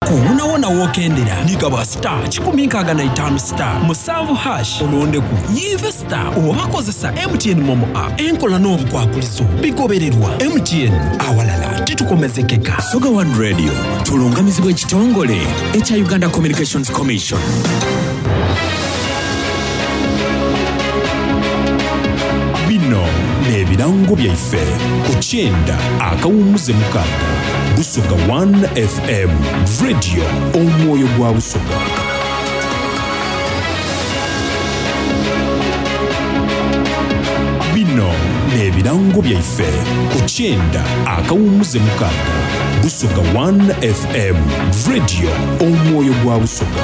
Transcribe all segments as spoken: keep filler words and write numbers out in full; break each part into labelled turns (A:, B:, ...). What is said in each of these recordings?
A: Wonawona wokendera nigaba star kikumi nkaaga na itaano star musanvu hash olondeku yive star oba kozesa M T N Momo app. Enkola n'obukwakulizo bigobererwa M T N awalala titukomezekeka.
B: Busoga One Radio tulungamizibwa ekitongole ekya Uganda Communications Commission.
C: Bino n'ebirango byaife ku kyenda akawummuze mukaaga. Busoga one F M Radio, omwoyo gwa Busoga. Bino n'ebirango byaife ku kyenda akawummuze mukaaga. Busoga one F M Radio, omwoyo gwa Busoga.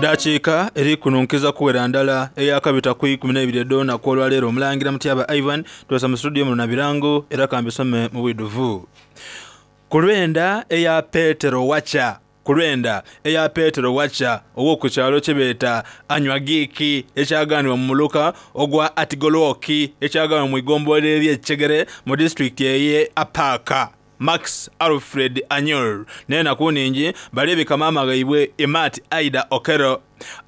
D: Dakiika eri kununkiza kuwera ndala eyakabita ku ikumi n'ebiri edona ku olwaleero. Omulangira Mutyaba Ivan twesa mu studio muno na birango era kambisome mu bwiduvu. Ku lwenda eya Petero Wacha, ku lwenda eya Petero Wacha ow'oku kyalo kye beeta Anywagiki ekyaganibwa mu muluka ogwa Atigoloki ekyaganibwa mu igombola ery'Ekyegere mu disitulikiti ey'e Apaaka. Max Alfred Anyol nena kuningi balebeka mama gaibwe Imat Aida Okero.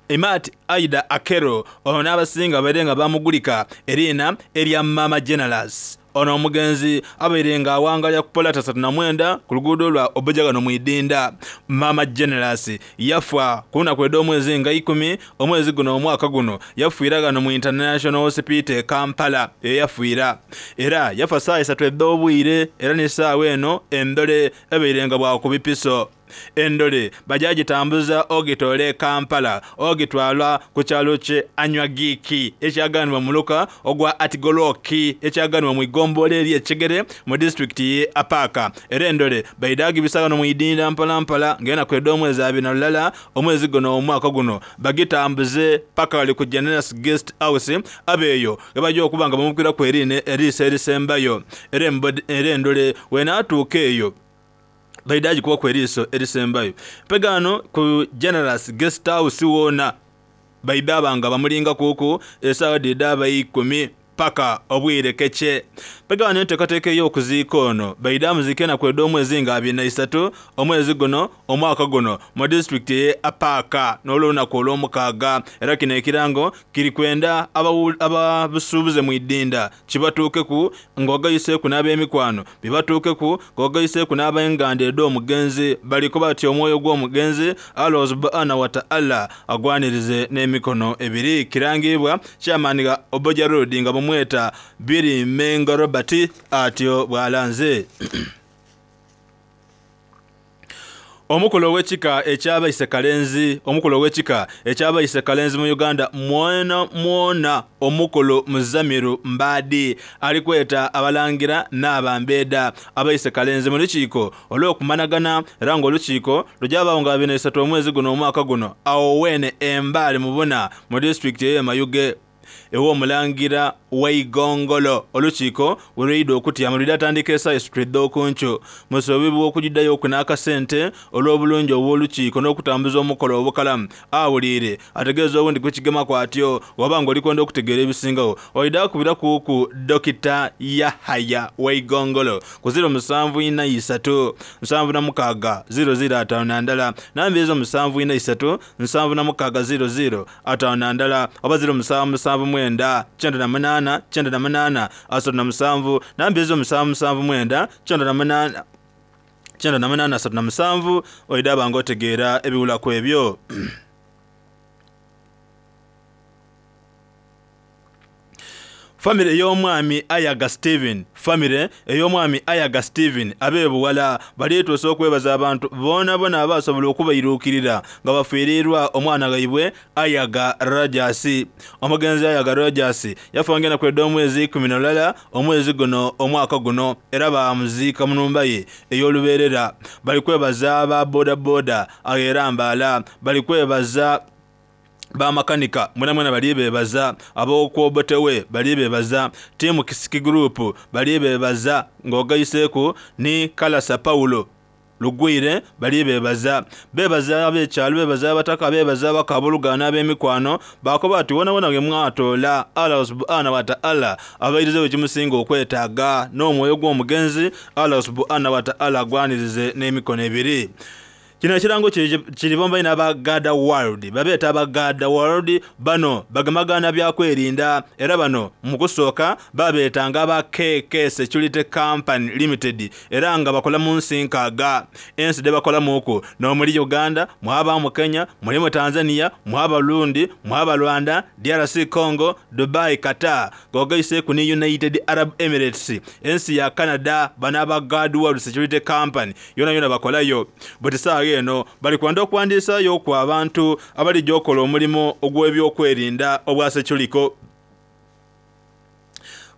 D: Imat Aida Akero ono n'abasinga babeere bamugulika erina erya Mama Generous. Ono omugenzi abaire nga awangalya ku polata satu na mwenda ku luguudo lwa Obojagano Mwidinda. Mama Generous yafa ku lunaku lw'omwezi nga ikumi omwezi guno omwaka guno, yafiira gano mu International Hospital Kampala eyafiira. Era yafa ssaawa isatu edh'obwire era n'essaawa eno endole ebaire nga bwakubipiso. Endole bajagitambuza ogitole Kampala ogitwala ku kyalo kye Anywagiki ekyaganibwa mu muluka ogwa Atigoloki ekyaganibwa mu igombola ery'Ekyegere mu disitulikiti ye Apaaka. Era endole baidagibisa no mwidinda mpala mpala ngena kwedda omwezi abiri na lulala omwezi guno omwaka guno bagitambuze paka wali ku Generous Guest House abeeyo gebajja okuba nga bamukira ku erine eriisa erisembayo. Era endole wenaatuuka eyo baidaji kuba ku eriiso erisembayo. Mpegano ku Generous Guest House wona baidabanga bamulinga kuku essaawa dhidaba ikumi paka obwire kece. Mpegano enteekateeka ey'okuziika ono baidamuzike na kwedda omwezi nga abiri na isatu omwezi guno omwaka guno mu disitulikiti ye Apaaka n'olunaku olw'omukaaga. Era kino ekirango kiri kwenda ababusuubuze mu idinda kibatuukeku ng'ogayiseeku n'ab'emikwano bibatuukeku ng'ogayiseeku n'ab'enganda ed'omugenzi baliko batya omwoyo gw'omugenzi Allah subhanahu wa ta'ala agwanirize n'emikono ebiri. Kirangibwa chairman ga Oboja Road nga bamweta Biri Mengo Robert atyo bwalanze. Omukulu ow'ekika ekyabaise Kalenzi, omukulu ow'ekika ekyabaise Kalenzi mu Uganda mwona mwona omukulu Muzamiru Mbadi alikweta abalangira n'abambeda abaise Kalenzi mu lukiiko olw'okumanagana era ng'olukiiko lujabaawo nga abiri na isatu omwezi guno omwaka guno awo wene Embaale Mubuna mu disitulikiti ey'e Mayuge ew'omulangira Waigongolo. Olukiiko we lwidde okutyama lwidde atandika essaawa esatu edh'okunkyo musobibwa okugiddayo okunaakasente olw'obulungi obw'olukiiko n'okutambuza omukolo obukalamu. Awuliire ategeeza obundi kukigema kwatyo oba ng'olikwenda okutegeera ebisingawo oidde akubiraku ku Dokita Yahaya Waigongolo ku ziro musanvu ina isatu nsanvu na mukaaga ziro ziro ataano na ndala namba ezo musanvu ina isatu nsanvu na mukaaga ziro ziro ataano na ndala oba ziro musanvu musanvu mwenda kyenda na munaana kyenda na munaana asatu na musanvu namba ezo musanvu musanvu mwenda kyenda na munaana kyenda na munaana asatu na musanvu oidde abanga otegeera ebiwulaku ebyo. Famire ey'omwami Ayaga Steven, famire ey'omwami Ayaga Steven abeebuwala baleetuusa okwebaza abantu boona bona abasobola okubairuukirira nga bafiirirwa omwana gaibwe Ayaga Rogers. Omugenzi Ayaga Rogers yafa ngena kwedda omwezi ikumi na lulala omwezi guno omwaka guno era bamuziika mu nnumba ye ey'olubeerera. Bali kwebaza aba bodaboda era Mbaala, bali kwebaza bamakanika mwena mwena bali bebaza, ab'okwobotewe bali bebaza, tiimu Kisiki Group bali bebaza ng'ogayiseeku ni Kalasa Paulo lugwire bali bebaza bebaza abekyalo bebaza abataka bebaza abakabulugana ab'emikwano bakoba ati wona wona mwatola Allah subhanahu wa ta'ala abairize ekimusinga okwetaaga n'omwoyo gw'omugenzi Allah subhanahu wa ta'ala agwanirize n'emikono ebiri. Kino ekirango kiri bomba ina aba Gada World babeeta aba Gada World bano bagemagana byakwerinda era bano mu kusooka babeetanga aba K K Security Company Limited era nga bakola mu nsi nkaaga ensi de bakolamu okwo n'omuli Uganda mwaba mu Kenya muli mu Tanzania mwaba Burundi mwaba Rwanda D R C Congo Dubai Qatar gogaiseku ni United Arab Emirates ensi ya Canada bano aba Gada World Security Company yona yona bakolayo buti saawa eno bali kwanda okuwandiisayo ku abantu abalijja okukola omulimu ogw'ebyokwerinda obwa seculiko.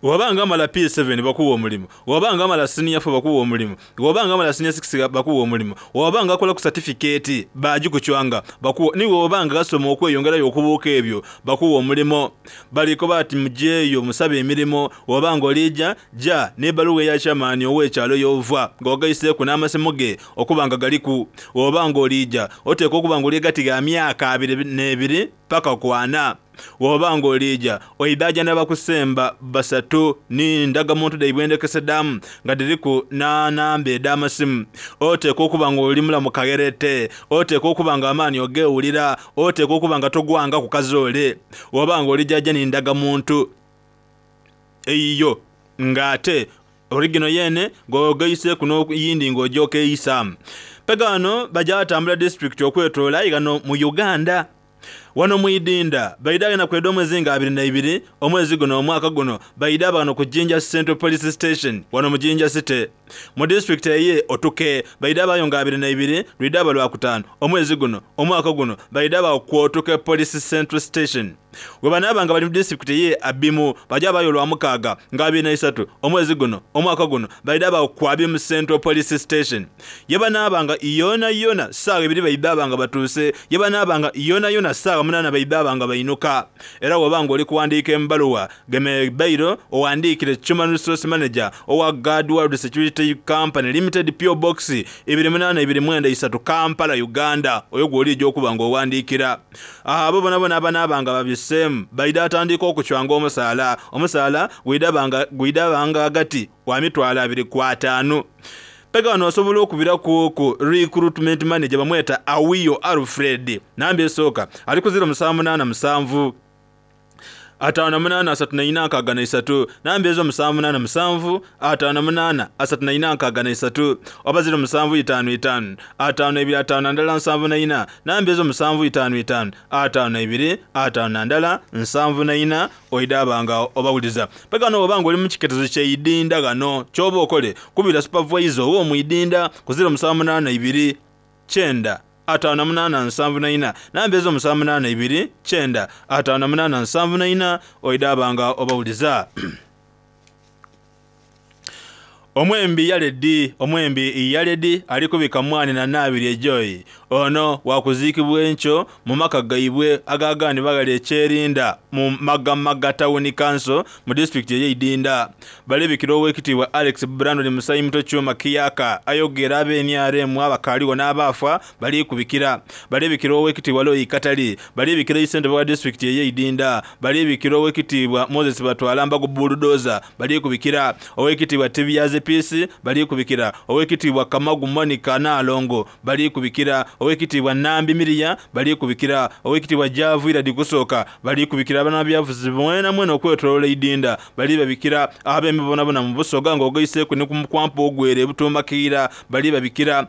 D: Wabanga amala P seven bakuwa omulimu, wabanga amala senior four bakuwa omulimu, wabanga amala senior six bakuwa omulimu, wabanga akola ku certificate bagikucwanga bakuwa, ni wabanga gasoma okweyongerayo okubuuka ebyo bakuwa omulimu. Baliko bati mujeeyo musabe emirimu, wabanga olijja ja n'ebbaluwa eya chairman ow'ekyalo y'ova ng'ogaiseeku n'amasimu ge okuba nga galiku. Wabanga olijja oteekwa okuba nga oli gati ga myaka abiri n'ebiri paka ku ana. Wabanga olija oidaja n'abakusemba basatu ni ndagamuntu daibwendekesedamu nga diriku na namba ed'amasimu. Oteekwa okuba nga oli mulamu kagerete, oteekwa okuba nga amaanyi ogewulira, oteekwa okuba nga togwanga ku kazoole. Wabanga olijaja ni ndagamuntu eyiyo ng'ate origino yene ng'ogaiseeku n'okuyindi ng'ojja okeeyisaamu. Pegano bajja batambula disitulikiti okwetoola igano mu Uganda. Wano muidinda baida na kweda omwezi nga abiri na ibiri omwezi guno omwaka guno baida bano ku Jinja Central Police Station wano mu Jinja City mu district eye Otuke baida bayo nga abiri na ibiri lwida balwa kutano omwezi guno omwaka guno baida ba ku Otuke Police Central Station. We banabanga bali mu district ye Abimu baja bayo lwa mukaga nga abiri na isatu omwezi guno omwaka guno baida ba ku Abimu Central Police Station. Ye banabanga yona yona saawa ebiri baida banga batuse ye banabanga yona yona saawa munana baida banga bainuka. Era wabanga oli kuwandiika embaluwa geme bairo owandiikire Human Resource Manager owa Guard World Security Company Limited P O Box ibiri munana ibiri mwenda isatu Kampala Uganda oyo gw'olijja okuba ng'owandiikira. Abo bona bona abanabanga babisemu baida atandika okucwanga omusaala omusaala gwidabanga gwidabanga agati wa mitwalo abiri ku ataano. Pega wano osobola okubira ku ku recruitment manager bamweta Awiyo Alfred namba esooka ali ku zero musanvu munaana musanvu ataano munaana asatu na ina nkaaga na isatu namba ezo musanvu munaana musanvu ataano munaana asatu na ina nkaaga na isatu oba zero musanvu itaano itaano ataano ebiri ataano na ndala nsanvu na ina namba ezo musanvu itaano itaano ataano ebiri ataano na ndala nsanvu na ina oidabanga obawuliza. Pega wano obanga oli mu kiketezo ky'eidinda gano ky'oba okole kubira supervisor ow'omwidinda ku zero musanvu munaana ibiri kyenda ataano munaana nsanvu na ina namba ezo musanvu munaana ibiri kyenda ataano munaana nsanvu na ina oidabanga obawuliza. Omwembi Yaledi omwembi Yaledi alikubika mwani na nabiri ejoyi ono wakuziikibwa enkyo mu maka gaibwe agagaani bagali ekyerinda mu Magamaga Town Council mu disitulikiti ey'Eidinda. Balebikira ow'ekitiibwa Alex Brandon Musayi Muto Kyuma Kiyaka ayogera ab'N R M abakaaliwo n'abaafa balikubikira. Balebikira ow'ekitiibwa Loyi Katali, balebikira ssentebe wa disitulikiti ey'Eidinda, balebikira ow'ekitiibwa Moses Batwala Mbago Bulldozer, balikubikira ow'ekitiibwa Tibiyaze Peace, balikubikira ow'ekitiibwa Kamagu Monica Nalongo, balikubikira ow'ekitiibwa Nambi Miria, balikubikira ow'ekitiibwa Javu Iradi Kusooka, balikubikira abanabyafuzi mwena mwena okwetoloola Idinda, balibabikira ab'emibonabona mu Busoga ng'ogaiseeku ne ku mukwampa ogwere ebutuumakiira, balibabikira.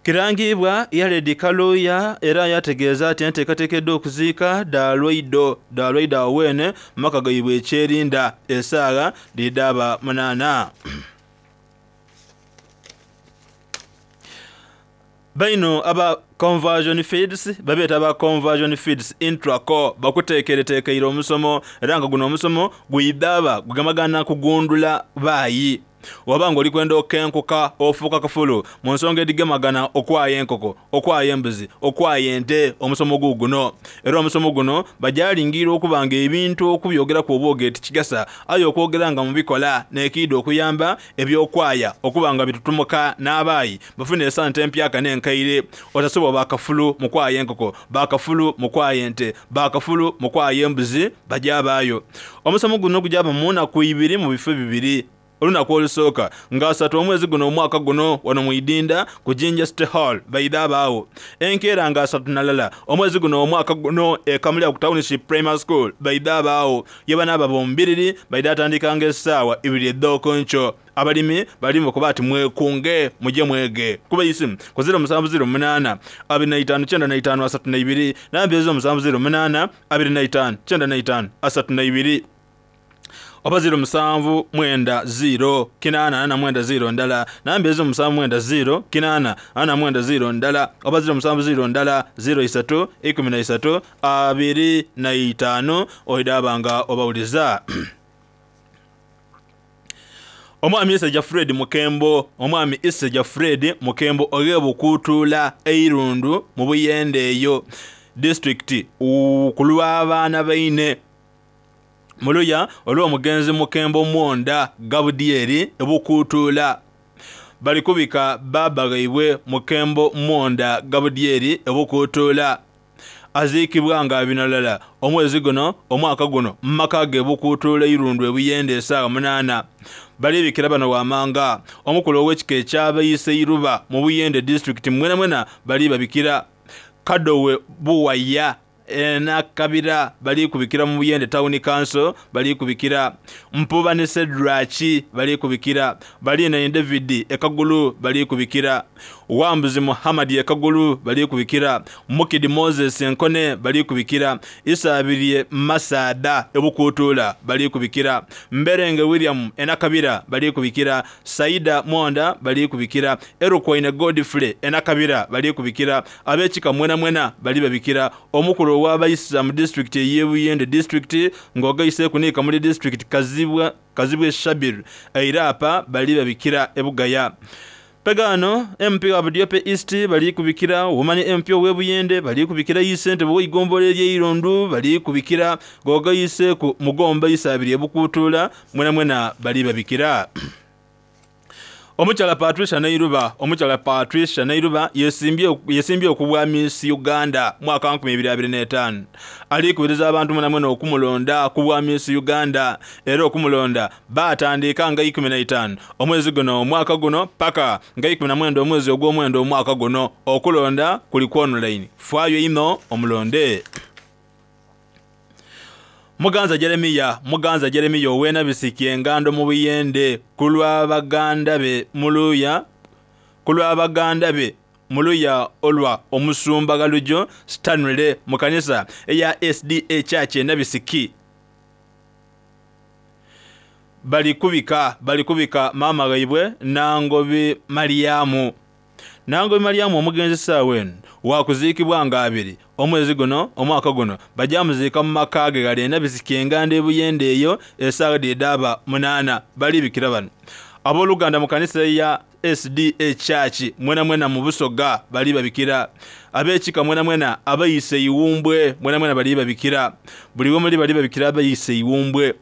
D: Kirangibwa Yaledi Kaluya era yategeeza ati enteekateekeddwa okuziika Dalwaido Dalwaido awene maka gaibwe ekyerinda essaawa lidaba munaana. Baino aba conversion feeds babeeta aba conversion feeds intraco bakuteekereteekeire omusomo era nga guno omusomo gwidaba gugamagana kugundula baayi. Wabanga oli kwenda okenkuka ofuuka kafulu mu nsonga edigemagana okwaya enkoko, okwaya embuzi, okwaya ente, omusomo guguno. Era omusomo guno bajalingira okubanga ebintu okubyogeraku obwoge tikigasa, aye okwogera nga mubikola n'ekiida okuyamba ebyokwaya okubanga bitutumuka n'abaayi bafune esente empyaka n'enkaire. Otasobola bakafulu mu kwaya enkoko, bakafulu mu kwaya ente, bakafulu mu kwaya embuzi, bajabaayo. Omusomo guno gujaba mu nnaku ibiri mu bifo bibiri. Olunaku olusooka nga asatu omwezi guno omwaka guno wano mu Idinda ku Jinja City Hall baidha abaawo. Enkeera nga asatu nalala omwezi guno omwaka guno e Kamuli ku Township Primary School baidha abaawo. Ye banaaba bombiriri baidha atandikanga essaawa ibiri edh'okunkyo. Abalimi balimu kuba ati mwekunge muje mwege. Kuba isimu ku ziro musanvu ziro munaana abiri na itaano kyenda na itaano asatu na ibiri, namba ezo musanvu ziro munaana abiri na itaano kyenda na itaano asatu na ibiri, oba ziro musanvu mwenda ziro kinaana ana mwenda ziro ndala, namba ezo musanvu mwenda ziro kinaana ana mwenda ziro ndala, oba ziro musanvu ziro ndala ziro isatu ikumi na isatu abiri na itaano oidabanga obawuliza. Omwami Isajja Fred Mukembo, omwami Isajja Fred Mukembo oghebukutuula eirundu mu Buyende eyo disitulikiti ku lw'abaana baine muluya olw'omugenzi Mukembo Mwonda Gabudyeri ebukutuula. Bali kubika baba gaibwe Mukembo Mwonda Gabudyeri ebukutuula. Aziikibwa nga binalala omwezi guno omwaka guno mu maka ge bukutuula eirundu ebuyende essaawa munaana. Balibikira bano wamanga omukulu ow'ekika ekyabayise iruba mu Buyende disitulikiti mwena mwena bali babikira. Kadowe Buwaya Enakabira bali kubikira mu Buyende Town Council bali kubikira. Mpuba ne Sedrachi bali kubikira. Balina David Ekagulu bali kubikira. Wambuzi Muhammad Ekagulu bali kubikira. Mukidi Moses Enkone bali kubikira. Isabirye Masada Ebukutuula bali kubikira. Mberenge William Enakabira bali kubikira. Saida Mwonda bali kubikira. Erukwaine Godfrey Enakabira bali kubikira. Abekika mwena mwena bali babikira. Omukulu w'abayisa mu disitulikiti ey'Ebuyende disitulikiti ng'ogaise kunika muri disitulikiti Kazibwa Kazibwe Shabir Eirapa bali babikira Ebugaya. Pegano M P wa Budiope East bali kubikira. Womani M P ow'Ebuyende bali kubikira. Isente bw'eigombolola ery'Eirondu bali kubikira. Ng'ogaise ku Mugomba Isabiri Ebukutuula mwena mwena bali babikira. Omukyala Patricia Nairuba, omukyala Patricia Nairuba yesimbye yesimbye okubwa Miss Uganda mwaka nkumi ibiri abiri n'etaano. Alikubiriza abantu mwena mwena okumulonda kubwa Miss Uganda, era okumulonda batandika nga ikumi na itaano omwezi guno omwaka guno paka nga ikumi na mwenda omwezi ogw'omwenda omwaka guno. Okulonda kuli ku online, faayo ino omulonde. Muganza Jeremiya, Muganza Jeremiya ow'Enabisiki engando mu Buyende ku lw'abaganda be muluya, ku lw'abaganda be muluya olwa omusumba Galujo Stanley mu kanisa eya S D A Church Enabisiki. Bali kubika, bali kubika maama gaibwe Nangobi Mariamu. Nangobi Mariamu omugenzi ssaawa eno wakuziikibwa nga abiri omwezi guno omwaka guno bajamuziika mu maka ge gali Enabisiki enganda Ebuyende eyo essaawa dhidaba munaana. Balibikira bano abooluganda mu kanisa ya S D A Church mwena mwena mu Busoga bali babikira. Ab'ekika mwena mwena abayise Iwumbwe mwena mwena bali babikira. Buli we muli bali babikira abayise Iwumbwe.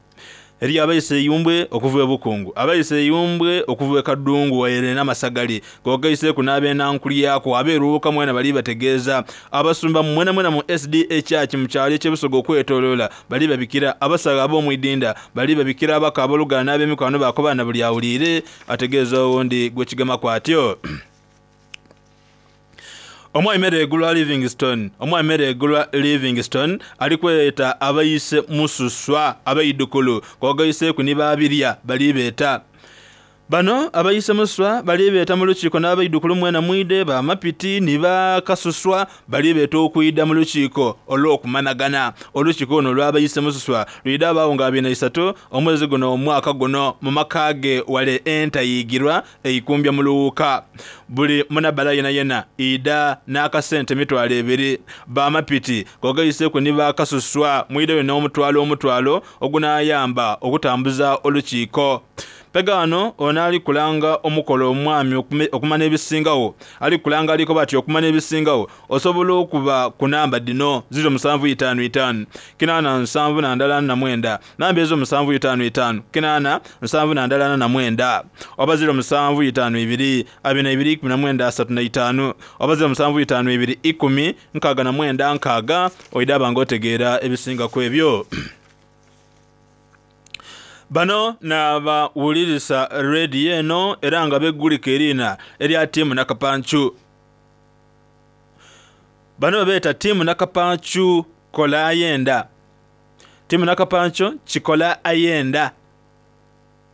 D: Eri abayise Iwumbwe okuva e Bukungu, abayise Iwumbwe okuva e Kadungu waire n'Amasagali, gogaise ku n'abenankulyako abeeruuka mwena bali bategeeza. Abasumba mwena mwena mu S D A Church mu kyalo eky'Ebusoga okwetooloola bali babikira. Abasaga ab'omu Idinda bali babikira. Abaka abooluganda n'ab'emikwano baako na buli awuliire ategeeza owundi gwe kigema kwatyo. Omwami Meregulwa Livingstone, omwami Meregulwa Livingstone alikweta abayise mususwa abaidukulu kogaise ku nibabirya bali beeta. Bano abayise muswa bali beeta mu lukiiko n'abaidukulu mwena mwide ba mapiti ni bakasuswa bali beeta okuyida mu lukiiko olw'okumanagana. Olukiiko luno olw'abayise mususwa lwida abaawo nga abiri na isatu omwezi guno omwaka guno mu maka ge wale entayigirwa eikumbya mu luwuka. Buli munabala yena yena ida n'akasente emitwalo ebiri. Bamapiti kogayiseku ni bakasuswa mwideyo n'omutwalo omutwalo ogunaayamba okutambuza olukiiko. Pegano ono ali kulanga omukolo omwami okumana ebisingawo ali kulanga aliko bati okumana ebisingawo osobola okuba ku namba dino ziro musanvu itaano itaano kinaana nsanvu na ndala na mwenda namba ezo musanvu itaano itaano kinaana nsanvu na ndala na mwenda oba ziro musanvu itaano ibiri abiri na ibiri ikumi na mwenda asatu na itaano oba ziro musanvu itaano ibiri ikumi nkaaga na mwenda nkaaga oidaba ng'otegeera ebisinga ku ebyo. Bano n'abawulirisa rediyo eno era nga beggulika erina erya ttiimu Nakapancu. Bano beeta ttiimu Nakapancu kola ayenda. Ttiimu Nakapancu kikola ayenda.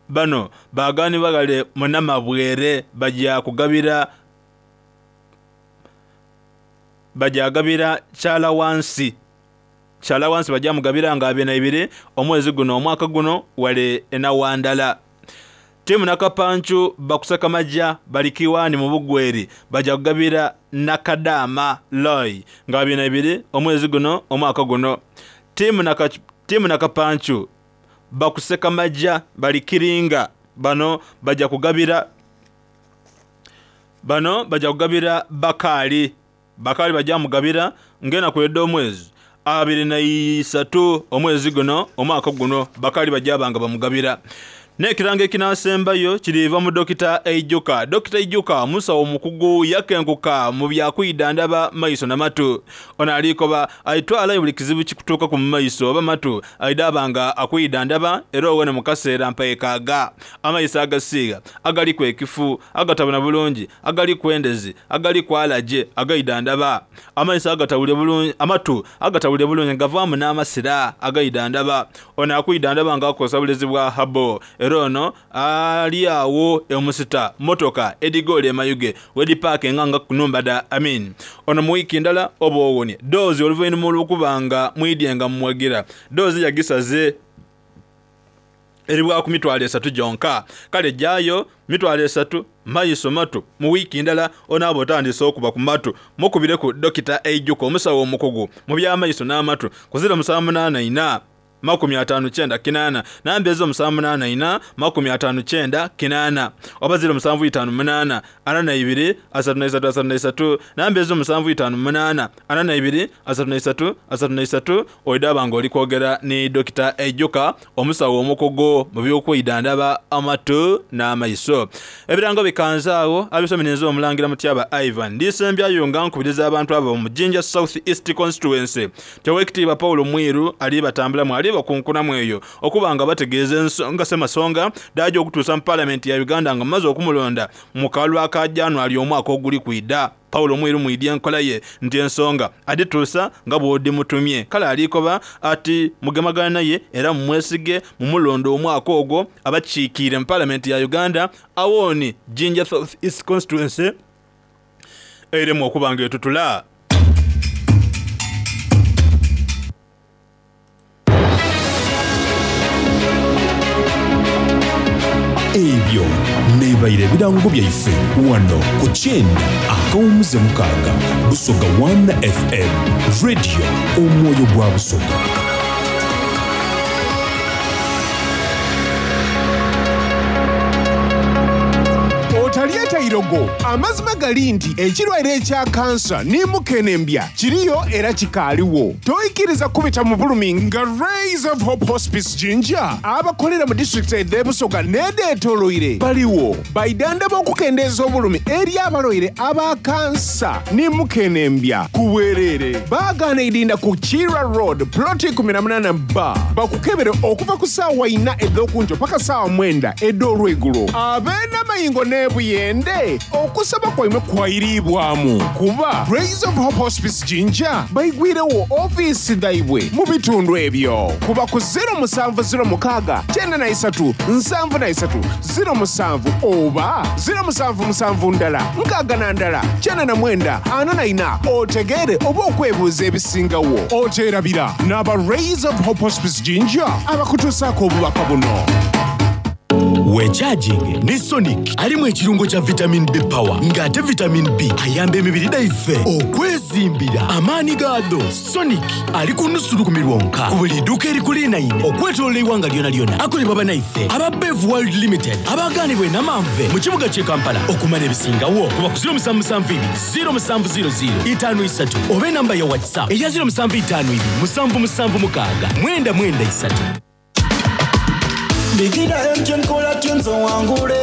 D: Bano baagaani bagale munamabwere bajja kugabira bajja gabira kyala wansi. Kyala wansi bajja mugabira nga abiri na ibiri omwezi guno omwaka guno wale enawandala. Ttiimu Nakapancu bakusaka majja balikiwani mu bugweri bajja kugabira Nakadama Loy nga abiri na ibiri omwezi guno omwaka guno. Ttiimu Naka Ttiimu Nakapancu bakuseka majja balikiringa bano bajja kugabira bano bajja kugabira Bakali Bakali bajja mugabira ngena kwedda omwezi abiri na isatu omwezi guno omwaka guno Bakali bajja banga bamugabira. N'ekirango ekinasembayo kiriva mu Dokita Eijuka. Dokita Eijuka musawo omukugu yakenkuka mu byakwidandaba maiso na matu. Ono alikoba aitwala buli kizibu kikutuuka ku maiso oba matu aidabanga akwidandaba era owene mu kaseera mpaekaaga. Amaiso agasiiga agaliku ekifu agatabona bulungi agaliku endezi agaliku alaje agaidandaba. Amaiso agatawulire bulungi amatu agatawulire bulungi gavaamu n'amasira agaidandaba. Ono akwidandaba ng'akozesa bulezi bwa habo. Ono ali awo emusita motoka edigole emayuge wedi park enganga kunumba da amin. Ono mu wiiki ndala oba owonye doozi oluvannyuma olw'okubanga mwidyenga mumwagira doozi yagisaze eribwa ku mitwalo esatu gyonka. Kale jjayo mitwalo esatu maiso matu mu wiiki ndala onaaba otandise okuba ku matu mukubire ku Dokita Eijuka omusawo omukugu mu by'amaiso n'amatu ku ziro musanvu munaana ina makumi ataano kyenda kinaana namba ezo musanvu munaana ina makumi ataano kyenda kinaana oba ziro musanvu itaano munaana ana na ibiri asatu na isatu asatu na isatu namba ezo musanvu itaano munaana ana na ibiri asatu na isatu asatu na isatu oidaba ng'oli kwogera ni Dokita Eijuka omusawo omukugu mu by'okwidandaba amatu n'amaiso. Ebirango bikanzaawo abisomereza omulangira Mutyaba Ivan ndisembyayo nga nkubiriza abantu abo mu Jinja South East Constituency Tewekitiibwa Paulo Mwiru ali batambulamu ali bakunkunamu eyo okubanga bategeeza ensonga semasonga dajo okutuusa mu palamenti ya Uganda nga maze okumulonda mu kalwa ka January omwaka oguli kwida. Paulo Mwiru mwidya enkola ye nti ensonga adituusa nga bw'odimutumye. Kale alikoba ati mugemagana naye era mumwesige mumulondo omwaka ogwo abakiikire mu palamenti ya Uganda awooni Jinja South East Constituency eremu okubanga etutula.
C: Ebyo nebaire ebirango byaife wano ku kyenda akawumuze mukaaga Busoga one F M Radio omwoyo gwa Busoga.
E: Otalieta irogo amazima gali nti ekirwadde ekya kansa ne mukenembya kiriyo era kikaaliwo. Toyikiriza kubita mu bulumi nga Rays of Hope Hospice Jinja abakolera mu disitulikiti ed'e Busoga n'edeetooloire baliwo baidanda b'okukendeeza obulumi eri abalwaire aba kansa ne mukenembya ku bwereere. Baagaana idinda ku Kira Road ploti kumi na munaana B bakukebere okuva ku ssaawa ina ed'okunkyo paka ssaawa mwenda ed'olweggulo. Ab'enamayingo n'ebuyende okusaba kwaimwe kwayiribwamu kuba Rays of Hope Hospice Jinja bayigwirewo ofiisi dhaibwe mu bitundu ebyo kuba ku zero musanvu zero mukaaga kyenda na isatu nsanvu na isatu zero musanvu oba zero musanvu musanvu ndala nkaaga na ndala kyenda na mwenda ana na ina otegeere oba okwebuuza ebisingawo. Oteerabira n'aba Rays of Hope Hospice Jinja abakutuusaako obubaka buno.
F: Wekyajinge ne Sonic alimu ekirungo kya vitamin B power ng'ate vitamin B ayamba emibiri gyaffe okwezimbira amaanyi gaado. Sonic ali ku nusu lukumi lwonka ku buli dduuka erikulinaine okwetoloola eggwanga lyona lyona. Akolebwa bannaife aba Bev World Limited abaganibwa enamanve mu kibuga ky'e Kampala. Okumanya ebisingawo kuba ku zero musanvu musanvu ibiri zero musanvu zero zero itaano isatu oba enamba ya WhatsApp eya zero musanvu itaano ibiri musanvu musanvu mukaaga mwenda mwenda isatu.
G: Bigida M T N caller tunes owangule.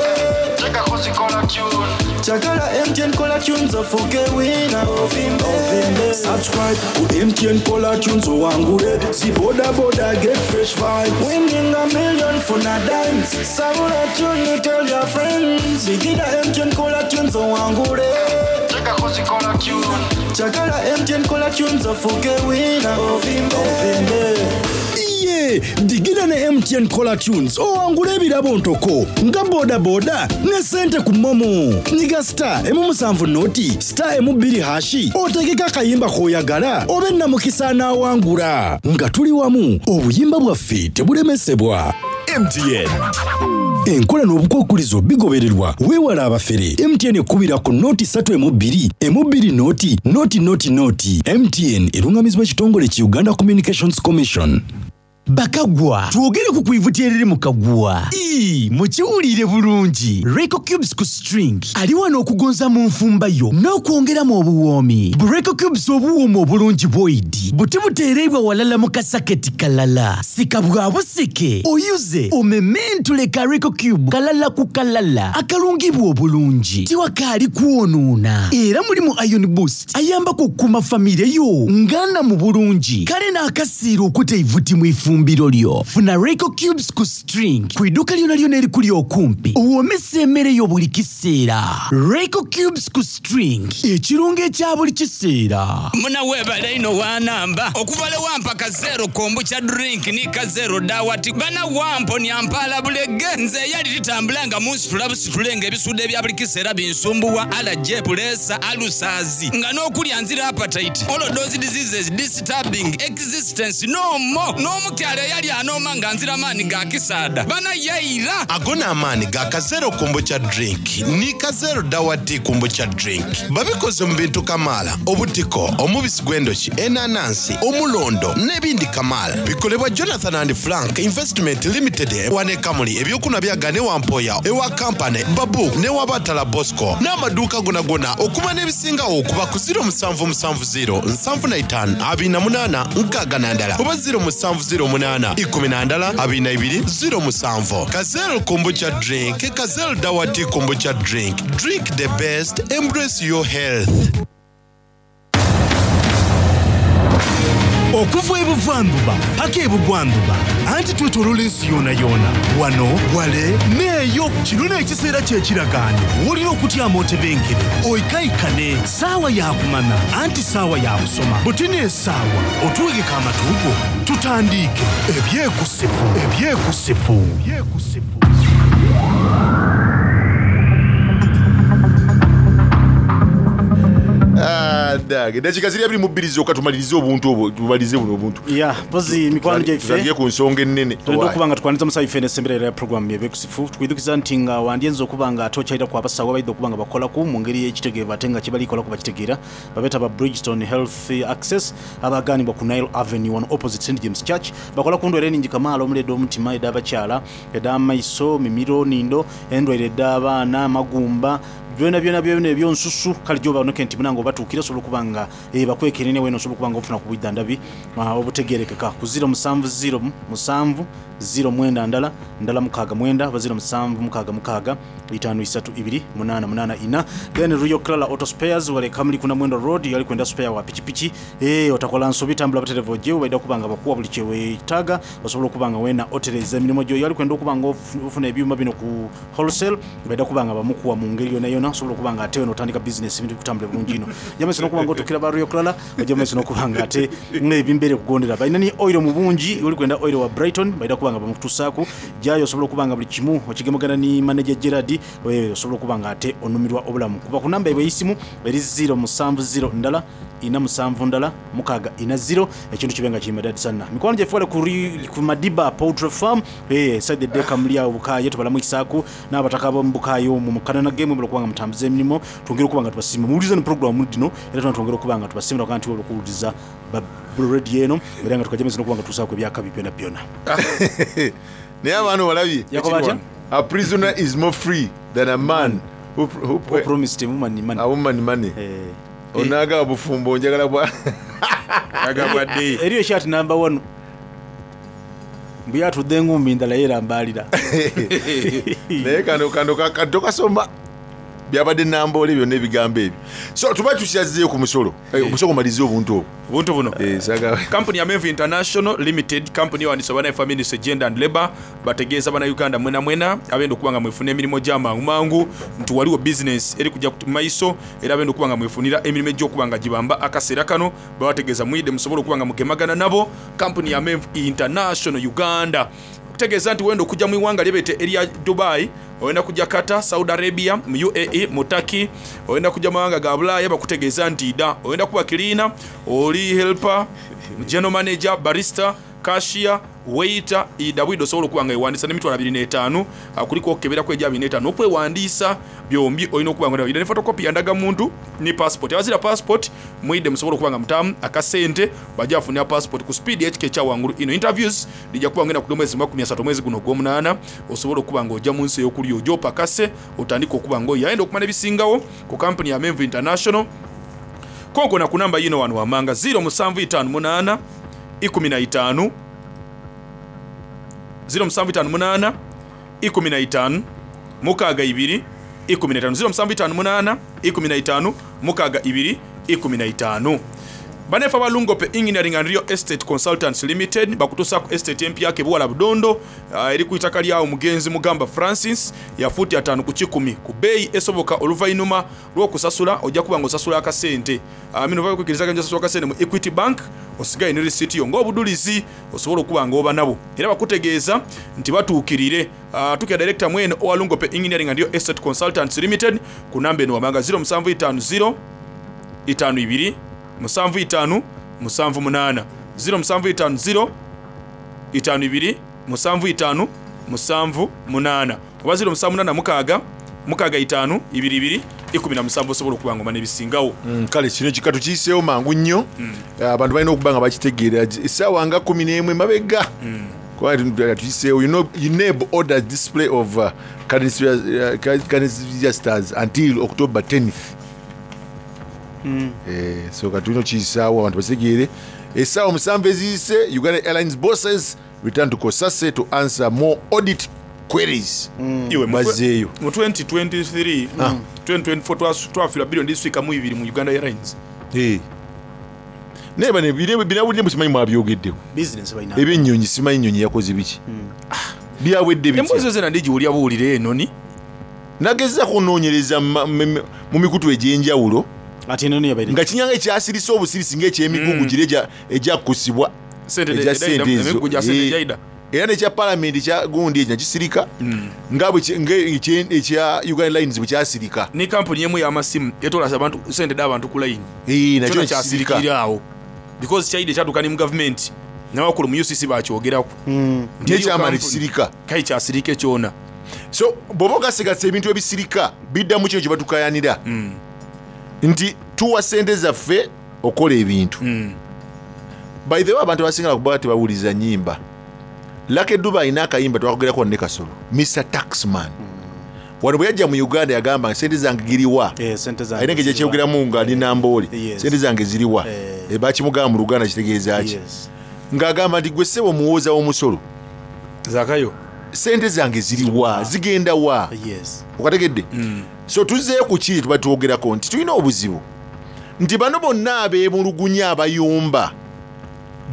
G: Chakala M T N caller tunes ofuke winner. Ovimbe. Subscribe ku M T N caller tunes owangule. Si boda boda, get fresh vibes. Winning a million for na dimes. Sabula tune, tell your friends. Bigida M T N caller tunes owangule. Chakala M T N caller tunes ofuke winner. Ovimbe. Ovimbe.
H: Iye digida ne M T N caller tunes owangula ebirabo ntoko nga bodaboda ne sente ku MoMo. Nyiga star emu musanvu noti star emu bbiri hash otegeka akayimba k'oyagala obe namukisa anaawangula. Nga tuli wamu, obuyimba bwaffe tebulemesebwa.
C: M T N.
H: Enkola n'obukwakulizo bigobererwa. Weewala abafere. M T N ekubira ku noti ssatu emu bbiri emu bbiri noti noti noti noti. M T N erungamizibwa ekitongole ki Uganda Communications Commission.
F: Bakagwa, twogere ku kwivuti eriri mu kagwa. Ii, mukiwulire bulungi. Reco Cubes ku string ali wano okugonza mu nfumba yo n'okwongeramu obuwoomi. Bureco Cubes obuwooma obulungi bwoidi buti buteereibwa walala mu kasaketi kalala. Sika bwa busike oyuze omementule ka Reco Cube kalala ku kalala akalungibwa obulungi tiwakaali kwonoona, era mulimu iron boost ayambako okukuuma famire yo ngana mu bulungi kale n'akasiira okuta eivuti mu ifumbiro lyo. Funa Reco Cubes ku string ku idduuka lyona lyona erikuli okumpi owoomesa emmere yo buli kiseera. Reco Cubes ku string, ekirungo ekya buli kiseera.
I: Munawebale ino wanamba okuva le wampa kazero kombucha drink ni kazero dawati bana wamponya mpala bulege. Nze eyali litambula nga munsitula busitule nga ebisude ebya buli kiseera binsumbuwa, alaje pulesa alusazi nga n'okulya nzira appetite, all those diseases disturbing existence no more. N'omukyala eyali anooma nga nzira maanyi ga kisaada bana yaira.
J: Ago n'amaanyi ga kazero kombucha drink ni kazero dawati kombucha drink. Babikoze mu bintu kamaala: obutiko, omubisi gw'endoki, enanansi, omulondo n'ebindi kamaala. Bikolebwa Jonathan and Frank Investment Limited wane Kamuli. Ebyokunwa byagane wampoya ewa kampany babu newabatala Bosco n'amaduuka gonagona. Okuba n'ebisingawo okuba ku zero musanvu musanvu zero nsanvu na itaano abiri na munaana nkaaga na ndala oba zero musanvu zero munaana ikumi na ndala abiri na ibiri zero musanvu. Kazel kombucha drink, Kazel dawati kombucha drink. Drink the best, embrace your health.
F: Okuva ebuvanjuba paka ebugwanjuba anti twetoloola ensi yoona yoona, wano wale neeyo. Kino n'ekiseera kyekiragaano w'olina okutyama otebenkere oikaikane. Saawa yakumanya anti saawa yakusoma buti n'esaawa otuwegeka amatuugo tutandiike ebyekusifu ebyekusifu ebyekusifu.
E: Dage dakiika ziri abiri mu bbiri zokka tumalirize obuntu obwo, tumalirize buno obuntu.
K: Ya mpozi mikwano gyaife.
E: Tutandike ku nsonga ennene.
K: Tulina okuba nga tukwaniriza musawo ife nesembera ya programu yebyekusifu. Tukwidukiza nti nga wandyenza okuba nga ate okyalira ku abasawo abaidde okuba nga bakolaku mu ngeri y'ekitegeevu ate nga kyebalikolaku bakitegeera, babeeta ba Bridgestone Health Access abaganibwa ku Nile Avenue wano opposite Saint James Church. Bakola ku ndwaire eningi kamaala omuli ed'omutima, ed'abakyala, ed'amaiso, mimiro, nindo, endwaire ed'abaana, amagumba, byona byona byona ebyonsusu. Kale gyoba nti munange obatuukire osobola okuba nga eh, bakwekenene wena osobola okuba nga ofuna ku bwiddandabi ah, obutegerekeka ku zero musanvu zero musanvu zero mwenda ndala ndala mukaaga mwenda oba zero musanvu mukaaga mukaaga itaano isatu ibiri munaana munaana ina. Then Rio Clara Auto Spares wale Kamuli kuna Mwendo Road yali kwenda spare wa pikipiki. eh otakola nsobi, tambula butereevu ojje baida okuba nga bakuwa buli kyeweetaaga osobola okuba nga wena otereza emirimu gyo. Yali kwenda okuba nga ofuna ebyuma bino ku wholesale, baida kuba nga bamukuwa mu ngeri yona yona. byona osobola okuba nga ate notandika bizinesi ebintu bikutambule bulungi ino. Ojja maiso n'okuba nga otukira ba Royal Clara, ojja maiso n'okuba nga ate ebimbeere kugondera. Balina ni oil mu bungi, oli kwenda oil wa Brighton, balina kuba nga bamukutuusaaku. Jayo osobola okuba nga buli kimu okigemagana ni manager Gerard, eh, osobola okuba nga ate onumirwa obulamu. Kuba ku namba ey'essimu eri zero musanvu zero ndala ina musanvu ndala mukaaga ina zero, ekintu kibe nga kimadadi sana. Mikwano gyaffe wale ku ri- ku Madiba Poultry Farm, eh, side deka muli awo Bukaye, tubalamu ekisaaku n'abataka ab'omu Bukaye omwo mu Kanana game mwebale okuba nga mutambuza emirimu. Twongere okuba nga tubasiima muwuliriza ne program dino, era tuna twongere okuba nga tubasiimira okuba nti okuwuliriza ba radio eno, era nga tukajja n'okuba nga tusaako ebyakabi byona byona.
L: Naye abaana olabye.
K: Yakoba atya?
L: A prisoner is more free than a man who, who,
K: who promised a woman money.
L: A woman money. Onaga bufumbo njagala bwa
K: Eriyo ekyati namba one mbu yatudde engumbi ndala yeerambalira.
L: Naye kano kano ka- tokasoma byabadde namboole byonna ebigambo ebyo. So tuba tukyazzeeyo ku musolo. Eh, omusolo gumalize obuntu obwo.
D: Obuntu buno.
L: Eh, saga
D: Kampuni ya Menvu International Limited, kampuni ewandiisa bannaife Ministry Gender and Labor, bategeeza bannayuganda mwena mwena abenda okuba nga mwefuna emirimu gy'amangu mangu nti waliwo bizinesi eri kujja ku maiso, era abenda okuba nga mwefunira emirimu egy'okuba nga gibamba akaseera kano, babategeeza mwide musobole okuba nga mugemagana nabo. Kampuni ya Menvu International Uganda okutegeeza nti wenda okujja mu iwanga lyebete erya Dubai, oyenda kujja Qatar, Saudi Arabia, mu U A E, mu Turkey, oyenda kujja mawanga ga Bulaaya, bakutegeeza nti da oyenda kuba cleaner, oli helper, general manager, barista, cashier, waiter, ida bwida osobola okuba nga ewandiisa n'emitwalo abiri n'etaano kuliko okukeberako egya abiri n'etaano okwewandiisa byombi olina okuba nga ida ne photocopy ya ndagamuntu ne passport. Abazira passport mwide musobola okuba nga mutamu akasente bajja bafunira passport ku speed ekika ekya wangulu ino. Interviews lijja kuba ngenda ku mwezi makumi asatu omwezi guno ogw'omunaana, osobola okuba nga ojja mu nsi ey'okulya ojja opakase otandike okuba nga oyayenda okumanya ebisingawo ku kampuni ya Menvu International. Konkona ku namba yino wano wamanga zero musanvu itaano munaana ikumi na itaano zero musanvu itaano munaana ikumi na itaano mukaaga ibiri ikumi na itaano zero musanvu itaano munaana ikumi na itaano mukaaga ibiri ikumi na itaano. Banefa Balungope Engineering and Real Estate Consultants Limited bakutuusaku estate empya Kebuwala Budondo, uh, eri ku itaka lyawo mugenzi Mugamba Francis ya fuuti ataano ku kikumi ku bbeeyi esoboka. Oluvannyuma lw'okusasula ojja kuba nga osasula akasente uh, mino bakwikiriza osasula akasente mu Equity Bank, osigaye ne receipt yo ng'obudulizi osobola okuba nga oba nabo, era bakutegeeza nti batuukirire uh, tukira director mwene owa Lungope Engineering and Real Estate Consultants Limited ku namba eno wamanga zero musanvu itaano zero itaano ibiri musanvu itaano musanvu munaana zero musanvu itaano zero itaano ibiri musanvu itaano musanvu munaana oba zero musanvu munaana mukaaga mukaaga itaano ibiri ibiri ikumi na musanvu osobola okuba nga omanya ebisingawo.
L: Mm, kale kino kika tukiyiseewo mangu nnyo. Abantu balina okuba nga bakitegeera essaawa nga kumi n'emu emabega kuba tuyiseewo. U N E B orders display of uh, currency, uh, currency registers until October tenth. Eh, so kati tulina okiyisaawo abantu bakitegeere. Essaawa musanvu eziyise, Uganda Airlines bosses return to COSASE to answer more audit queries.
D: Iwe mu
L: Bazzeeyo.
D: Mu twenty twenty-three twenty twenty-four twas- twafiirwa biliyoni diswikamu ibiri mu Uganda Airlines.
L: Eh. Naye bano binawulire musimanyi mwabyogeddeko.
K: Business balina.
L: Ebyennyonyi simanyi nyonyi yakoze biki byawedde bitya.
D: Emboozi zena ndigiwulya buwulire enoni.
L: Nagezaako okunoonyereza mu- mu mu mikutu egy'enjawulo
K: ati enoni yabaire
L: nga kinyanga ekyasirisa obusirisi ng'ekyemigugu giri egya- egyakusibwa
D: Sente
L: egya
D: edaida-
L: sente ezo.
D: emigugu gya sente
L: Eh,
D: egyaida.
L: Era nekya palamenti kya gundi ekyo nakisirika nga bwe ki- nga ekye- ekya Uganda Lines bwe kyasirika.
D: Ne kampuni emu y'amasimu etolasa abantu sente d'abantu ku layini.
L: Eh, nakyo
D: kyona
L: nekisirika.
D: kyasirikira awo because kyaide kyatuuka ne mu gavumenti n'abakulu mu U C C bakyogerako. Nti eriyo
L: Nekyamala
D: kampuni-
L: ekisirika.
D: Kai kyasirika ekyona.
L: So bw'oba ogasigasa ebintu ebisirika biddamu kino kye batukayanira nti tuwa sente zaffe okola ebintu. By the way, abantu abasinga kuba tebawuliza nyimba. Lucky Dube alina akayimba twakogerako ne Kasolo, Mister Taxman. Wano bwe yajja mu Uganda yagamba sente zange giriwa.
K: Eh, sente zange
L: Alina engeri
K: ziriwa.
L: gyekyogeramu nga ali Namboole.
K: Yes.
L: Sente zange ziriwa.
K: Eh.
L: Eh, bakimugamba mu Luganda kitegeeza ki?
K: Yes.
L: Ng'agamba nti gwe ssebo omuwooza w'omusolo
D: Zakayo,
L: sente zange ziriwa, zigenda wa?
K: Yes.
L: Okategedde? So tuzzeeyo ku kiri tuba twogerako nti tulina obuzibu nti bano bonna abeemulugunya abayumba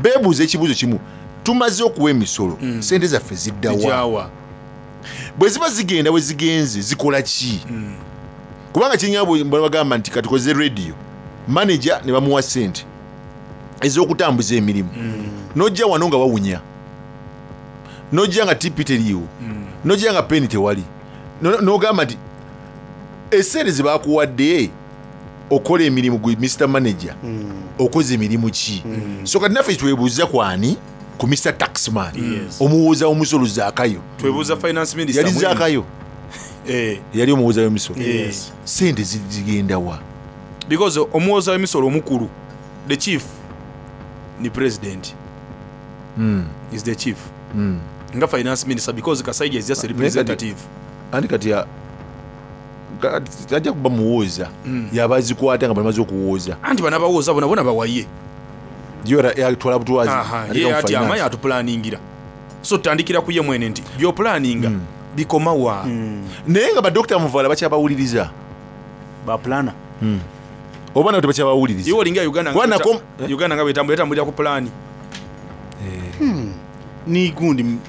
L: beebuuza ekibuuzo kimu: tumaze okuwa emisolo, sente zaffe ziddawa?
D: Zijaawa.
L: Bwe ziba zigenda, bwe zigenze zikola ki? Kubanga kiringa bwe bagamba nti katukoze radio, manager ne bamuwa sente ez'okutambuza emirimu, nojja wano nga wawunya, nojja nga T P teriiwo, nojja nga peni tewali. No- nogamba nti esente zebakuwadde okola emirimu gwe Mister Manager, okoze emirimu ki? So kati naffe twebuuza kwani? Ku Mister Taxman,
D: Yes.
L: omuwooza w'omusolo Zaakayo.
D: Twebuuza finance minister.
L: Yali
D: mwene.
L: Zaakayo.
D: Eh.
L: Yali omuwooza w'emisolo.
D: Yes.
L: Sente zi- zigenda wa?
D: Because omuwooza w'emisolo omukulu, the chief, ni president.
L: Mm.
D: Is the chief
L: Mm.
D: nga finance minister, because Kasaija is just a
L: Naye kati-
D: representative.
L: Anti kati ya- ka- tajja kuba muwooza,
D: Mm.
L: yaba azikwata nga bamaze okuwooza.
D: Anti banabawooza bona bona bawaye.
L: Yatwala butwazi.
D: Aha,
L: Ate
D: ye
L: mu
D: ati
L: finance.
D: amaye atupulaningira, so tutandikira ku ye mwene nti byopulaninga bikomawa?
L: Naye nga badokita Muvala bakyabawuliriza?
K: Baplana.
L: Oba nabo tebakyabawuliriza?
D: Iwe olinga Uganda nga
L: Kuba nako-
D: bweta- Uganda nga bwetambula, etambulira ku pulaani.
K: Ni gundi m-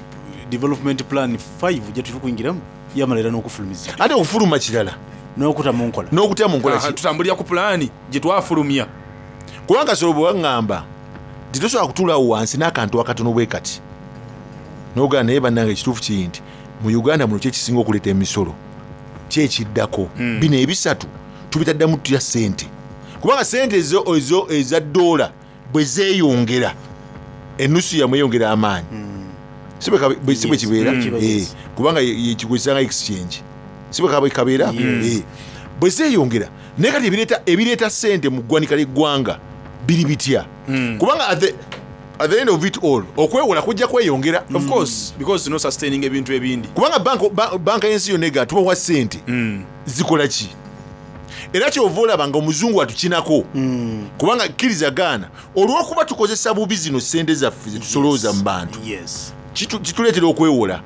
K: development plan five gye tuli kuyingiramu yamala era n'okufulumiza.
L: Ate okufuluma kirala,
K: n'okuta mu nkola.
L: N'okuta mu nkola
D: Aha,
L: ki?
D: Tutambulira ku pulaani gye twafulumya.
L: Kubanga solo bwe waŋŋamba nti tosobola kutuulaawo wansi n'akantu akatono bwe kati nogamba, naye bannange, ekituufu kiri nti mu Uganda muno kyekisinga okuleeta emisolo kyekiddako. Bino ebisatu tubitaddamu tutya sente? Kubanga sente ezo, ezo eza dola bwe zeeyongera, enusu yamwe eyongera amaanyi. Si bwe kabe- bwe- si bwe kibeera?
K: Mm. Kiba
L: Eh,
K: yes.
L: Kubanga kikozesanga exchange, si bwe kabe- kabeera?
K: Yes.
L: Eh, bwe zeeyongera, naye kati ebireeta ebireeta sente mu ggwanika ly'eggwanga biri bitya? Kubanga at the, at the end of it all, okwewola kujja kweyongera.
D: Of course, because no sustaining ebintu ebindi.
L: Kubanga banka- ba- banka y'ensi yonna ega tubawa sente, zikola ki? Era kyova olaba nga omuzungu atukinako, kubanga kkiriza gaana, olw'okuba tukozesa bubi zino sente zaffe zetusolooza mu bantu,
K: Yes.
L: kitu- kituleetera okwewola.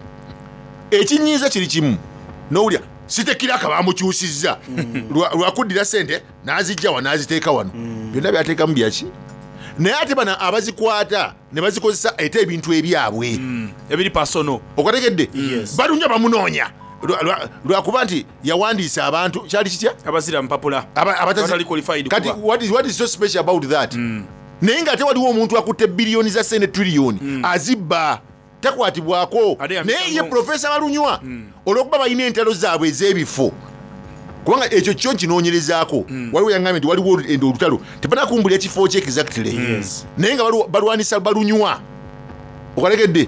L: Ekinyiiza kiri kimu, nowulya sitekiraka bamukyusizza Lwa- lwakuddira sente n'azijja wa n'aziteeka wano, byonna byateekamu byaki? Naye ate bano abazikwata ne bazikozesa ete ebintu ebyabwe
D: ebiri pasono.
L: Okategedde?
K: Yes.
L: Balunya bamunoonya Lwa- lwa- lwakuba nti yawandiisa abantu, kyali kitya?
D: Abazira mpapula.
L: Aba- abatazi-
D: Abatali qualified
L: kati
D: kuba.
L: what is, what is so special about that? Naye nga ate waliwo omuntu akutte biliyoni za sente, triliyoni, azibba, takwatibwako.
D: Ate yamisa
L: Naye ye
D: ngo-
L: profesa Balunywa, olwokuba balina entalo zaabwe ez'ebifo, kubanga ekyo kyo nkinoonyerezaako, waliwo yaŋŋambye nti waliwo endo olutalo, tebanakumbulira ekifo kye exactly,
K: Yes.
L: naye nga balwa- balwanisa Balunywa. Okalegedde?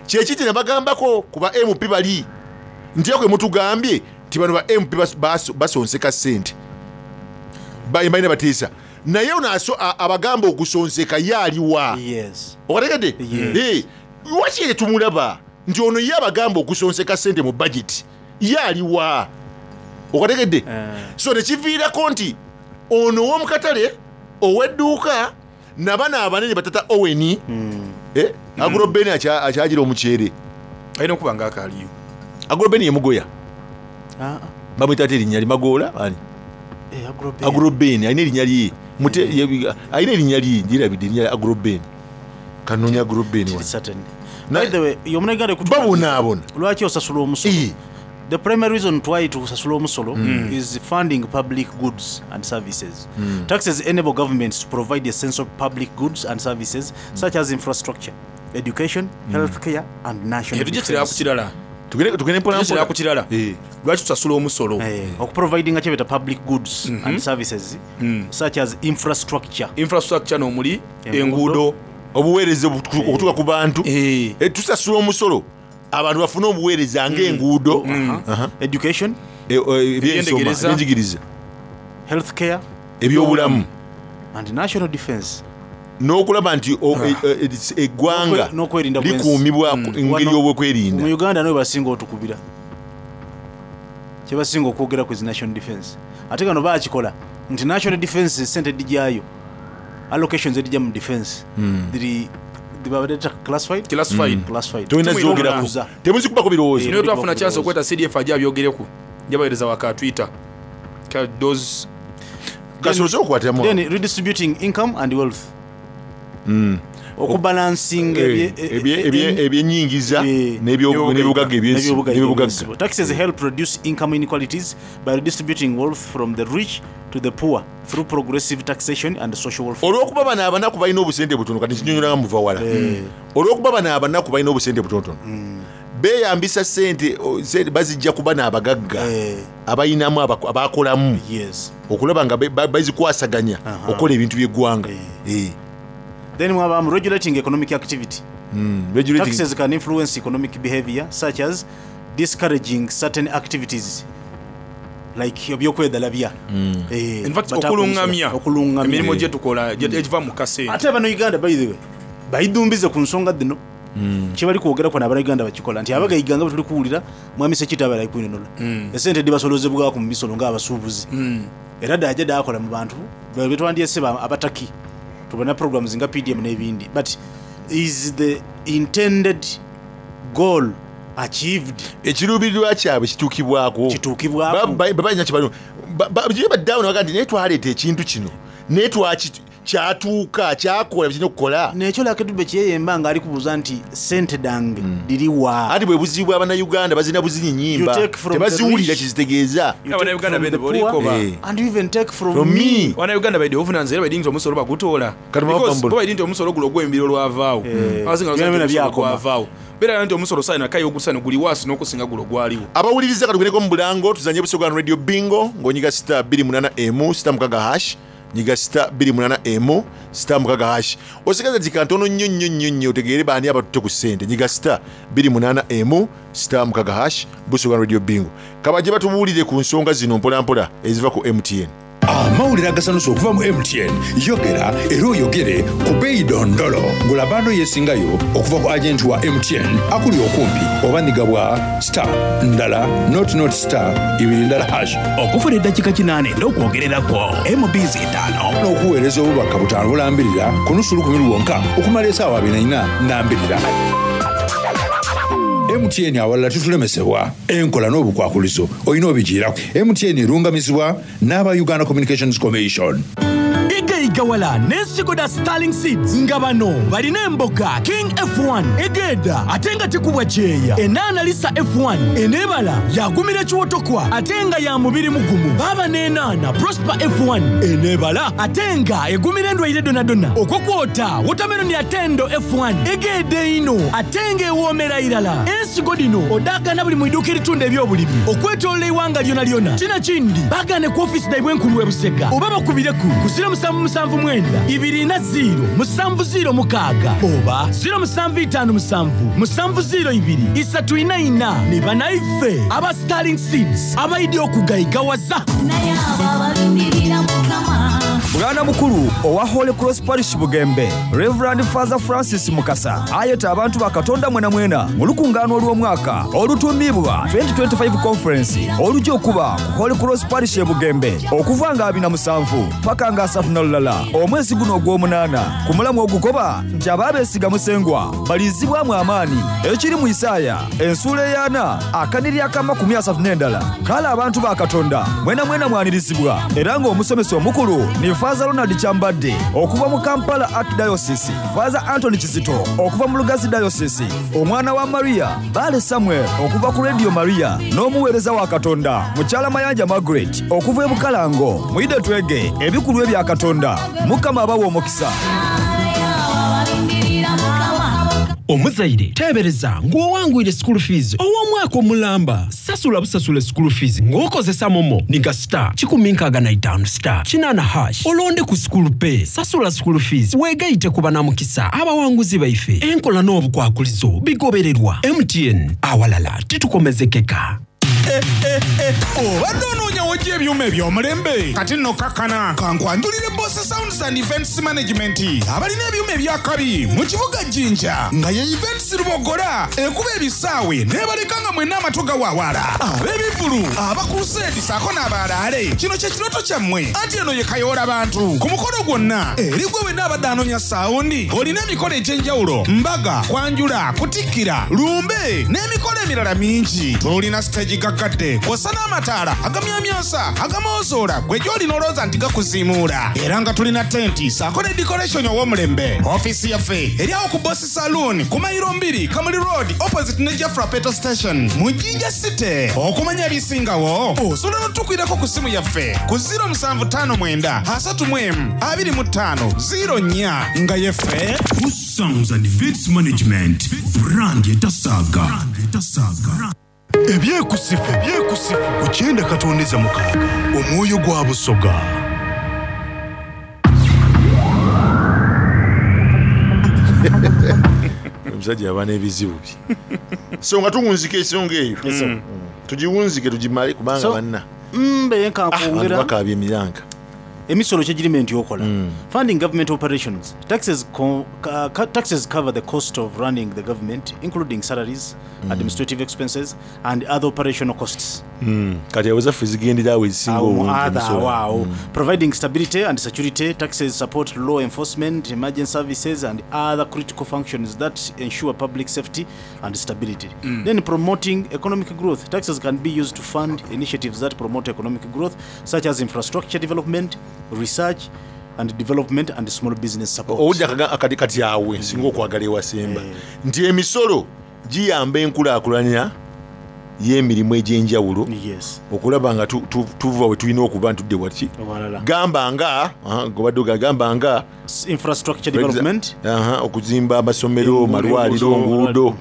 L: Kyekiti ne bagambako ku ba M P bali nti ekwe mutugambye nti bano ba M P bas- bas- basonseka sente, Ba- balina batiisa, naye ono aso- a- abagamba okusonseka ye aliwa?
K: Yes.
L: Okategedde?
K: Yes.
L: Eh, lwaki ye tumulaba nti ono ye abagamba okusonseka sente mu budget ye aliwa? Okategedde?
K: Eh.
L: So nekiviirako nti ono ow'omukatale, ow'edduuka, nabano abanene batata Oweni. Eh, Agrobeni akya- akyagira omuceere.
D: Alina okuba nga akaaliyo.
L: Agrobeni yemugoya.
K: Ah,
L: Bamwita ate erinnya limagoola ani?
K: eh, Agrobeni.
L: Agrobeni alina erinnya lye. Mute- ye- alina erinnya lye, ndirabidde erinnya lya Agrobeni. Kanoonya Agrobeni
K: Kiri
L: wano.
K: certain.
L: Na-
K: By the way, y'omunaganda ekutu-
L: Babonaabona.
K: Lwaki osasula omusolo?
L: Eh.
K: The primary reason why tusasula omusolo is funding public goods and services. Taxes enable governments to provide essential public goods and services such as infrastructure, education, healthcare and national
D: Eh, tujja kirala ku
K: defense.
D: kirala.
L: Tugende tugende mpola
D: Tujja kirala
L: mpola.
D: ku kirala.
L: Eh.
D: Lwaki tusasula omusolo?
K: Eh, okuprovidinga kyebeta public goods and services such as infrastructure.
D: Infrastructure nomuli
K: Enguudo.
D: enguudo.
L: Obuweereza obutu- okutuuka ku bantu.
D: Eh.
L: Eh, tusasula omusolo abantu bafune obuweereza ng'enguudo. Aha.
K: Education,
L: Eh, eh, ebyensoma,
D: Ebyendegereza.
L: ebyenjigiriza,
K: healthcare
L: ebyobulamu
K: and national defense.
L: N'okulaba nti o- e- e- e- eggwanga
K: N'okwe- n'okwerinda kw'ensi.
L: likuumibwa ku- engeri
K: Wano-
L: y'obwokwerinda.
K: Mu Uganda niwe basinga otukubira, kyebasinga okwogera ku zi national defense. Ate kano bakikola nti national defense sente edijyayo, allocations edijja mu defense dhiri dhibabadeta classified.
D: Classified.
K: Classified.
L: Tolina
D: Tumulina
L: zogerako,
K: okubuuza.
L: temuzikubako birowoozo.
D: Naye twafuna chance okweta C D F ajja abyogereku, jabaweereza waka Twitter. Ka- those
L: Kasoose okukwatiramu.
K: Then redistributing income and wealth. Okubalansinga
L: Eh, ebye- ebye- ebyenyingiza n'ebyo- n'ebyobugagga ebyensi- n'ebyobugagga.
K: Taxes help reduce income inequalities by redistributing wealth from the rich to the poor through progressive taxation and social welfare.
L: Olwokuba bano abanaku balina obusente butono, kati nkinyonyola nga muva wala, olwokuba bano abanaku balina obusente butonotono, beyambisa sente o, sente bazijja ku bano abagagga abalinamu abaku- abakolamu
K: Yes.
L: okulaba nga be- ba- bazikwasaganya okukola ebintu by'eggwanga. Eh.
K: Then mwabamu regulating economic activity.
L: Mm, regulating-
K: Taxes can influence economic behavior such as discouraging certain activities like ebyokwedalabya. Eh,
M: In fact,
K: bataka
M: okulungamya
K: omusolo, okulungamya
M: emirimu gyetukola gye- egiva mu kasente.
K: Ate bano Uganda, by the way, bayidumbize ku nsonga dhino kyebali kwogera kwano, abanauganda bakikola nti abagaiga nga bwetuli kuwulira mwami Sekita abali kwinonola esente dibasolozebwako mu misolo ngaabasuubuzi, era daja dakola mu bantu betwandyese abataki tubona programs nga P D M n'ebindi, but is the intended goal achieved?
L: Ekiruubirirwa kyabwe kituukibwako?
K: Kituukibwako.
L: Babalina kyebalina baddaawo nebaga nti naye twaleeta ekintu kino, naye twaki kyatuuka kyakola kirina okukola.
K: Nekyo Lakedube kyeyemba nga ali kubuuza nti sente dange diriwa.
L: Anti bwe buzibu bw'abannayuganda, bazina buzinyi nyimba,
K: You take from the
L: tebaziwulira
K: rich.
L: kyezitegeeza.
K: You take from the poor, and you even take from,
L: From me.
M: Bannayuganda baidde obuvunanyizibwa era baidi nti omusolo bagutoola.
L: Kati mwava
M: Because
L: mbula.
M: bo baidi nti omusolo guno ogw'embiro lwavaawo.
L: Eh.
M: Abasinga
L: Byona
M: basobola
L: byona
M: nti omusolo
L: byakoma.
M: gwavaawo, beera nti omusolo saina kayi ogusano guli waasi n'okusinga gulo gwaliwo.
L: Abawuliriza, katugendeko mu bulango tuzanye Busoga Radio Bingo ng'onyiga star two emu star mukaga hash, nyiga star two emu star mukaga hash. Osigaza dika ntono nnyo nnyo nnyo nnyo otegeere baani abatutte ku ssente. Nyiga star two emu star mukaga hash, Busoga Radio Bingo. Kabajje batubuulire ku nsonga zino mpolampola eziva ku M T N.
N: Amawulire agasanusa okuva mu M T N. Yogera era oyogere ku beeyi dondolo. Gula bando yeesingayo okuva ku agenti wa M T N akuli okumpi oba nigabwa star ndala not not star ibiri ndala hash.
O: Okufuna eddakiika kinaana n'okwogererako M Bs etaano
N: n'okuweereza obubaka butaano bulambirira ku nusu lukumi lwonka okumala esaawa abiri na nnya nambirira. M T N, awalala tutulemesebwa. Enkola n'obukwakulizo olina obigiirako. M T N erungamizibwa n'aba Uganda Communications Commission.
F: Igayigawala n'ensigo da Starling Seeds nga bano balina emboga King F one egenda ate nga tekubwa kyeya, enaana Lisa F one eneebala yagumira ekiwotokwa ate nga ya mubiri mugumu, baaba n'enaana Prosper F one eneebala ate nga egumira endwaire donadona, okwo kwota wotameroni atendo F one egenda ino ate nga ewoomera irala. Ensigo dino odaagana buli mu iduuka eritunda ebyobulimi okwetolola eiwanga lyona lyona. Kina kindi bagane ku ofisi daibwe enkulu e Busega oba bakubireku ku zero musanvu musanvu mwenda ibiri na zero musanvu zero mukaaga oba zero musanvu itaano musanvu musanvu zero ibiri isatu ina ina. Ni banaife aba Starling Seeds abaidi okugayigawaza.
P: Bwana mukulu owa Holy Cross Parish Bugembe, Reverend Father Francis Mukasa, ayeta abantu ba Katonda mwena mwena mu lukungaano olw'omwaka olutuumibwa twenty twenty-five Conference olujja okuba ku Holy Cross Parish e Bugembe okuva nga abiri na musanvu paka nga asatu na lulala omwezi guno ogw'omunaana, ku mulamu ogukoba nti abaabeesiga Musengwa balizibwamu amaanyi, ekiri mu Isaaya ensuula ey'ana akaniri ak'amakumi asatu n'endala. Kale abantu ba Katonda mwena mwena mwanirizibwa, era ng'omusomesa omukulu ni Faza Ronald Kyambadde okuva mu Kampala Archdiocese, Faza Anthony Kizito okuva mu Lugazi Diocese, omwana wa Maria Bale Samuel okuva ku Radio Maria, n'omuweereza wa Katonda mukyala Mayanja Margaret okuva e Bukalango. Muyide twege ebikulu ebya Katonda. Mukama abawa omukisa.
A: Omuzaire teebereza ng'owangwire school fees ow'omwaka omulamba. Sasula busasula school fees ng'okozesa MoMo. Niga star kikumi nkaaga na itaano star kinaana hash, olonde ku School Pay, sasula school fees weegayite ku banamukisa abawanguzi baife. Enkola n'obukwakulizo bigobererwa. M T N, awalala titukomezekeka.
E: Obadde onoonyawo gye ebyuma eby'omulembe? Kati nno kakkana kankwanjulire Boss Sounds and Events Management, abalina ebyuma ebyakabi mu kibuga Jjinja, nga ye Events Lubogola ekuba ebisaawe n'ebaleka nga mwenna amatu gawaawala. Ab'ebivvulu.
Q: Ab'ebivvulu, abakuruseedi saako n'abalaale, kino kye kirooto kyammwe anti eno ye Kayoola Bantu. Ku mukolo gwonna eri gwe wenna abadde anoonya saawundi, olina emikolo egy'enjawulo, mbaga, kwanjula, kutikkira, lumbe n'emikolo emirala mingi. Tulina siteegi gaggadde kw'ossa n'amataala agamyamyansa agamoozoola gwe gy'olina olowooza nti gakuziimuula, era nga tulina tenti saako ne decoration ow'omulembe. Ofiisi yaffe eri awo ku Boss Saloon ku mayiro mbiri Kamuli Road opposite ne Jafra Petrol Station mu Jinja City. Okumanya ebisingawo osobola n'otukwirako ku ssimu yaffe ku ziro musanvu ttaano mwenda asatu mu emu abiri mu ttaano ziro nnya nga yeffe
C: Sounds and Events Management brand etasaga.
N: Ebyekusifu ebyekusifu ku kyenda katondeza mukaaga omwoyo gwa Busoga.
L: Omusajja aba n'ebizibu bye. So nga tuwunzika ensonga eyo,
K: Yes,
L: tugiwunzike tugimale kubanga
K: So,
L: banna
K: mbe nkankwongera
L: bakaabya emiranga.
K: Emisolo kyegirime nti okola funding government operations. Taxes, co ca ca taxes cover the cost of running the government, including salaries, administrative expenses and other operational costs.
L: Mm. Kati awo zaffe zigendera awo ezisinga
K: Awo mu
L: obungi
K: other
L: emisolo.
K: awo. Providing stability and security, taxes support law enforcement, emergency services and other critical functions that ensure public safety and stability.
M: Mm.
K: Then promoting economic growth, taxes can be used to fund initiatives that promote economic growth, such as infrastructure development, research and development and small business support.
L: Owulira akaga- akati kati awe nsinga okwagala ewasemba nti emisolo giyamba enkulaakulanya y'emirimu egy'enjawulo okulaba nga tu- tu- tuva we tulina okuba ntudde waki
K: Ewalala.
L: gamba nga aha, gobadde oga- gamba nga
K: infrastructure
L: For exa-
K: development.
L: Aha, okuzimba amasomero, malwaliro, nguudo,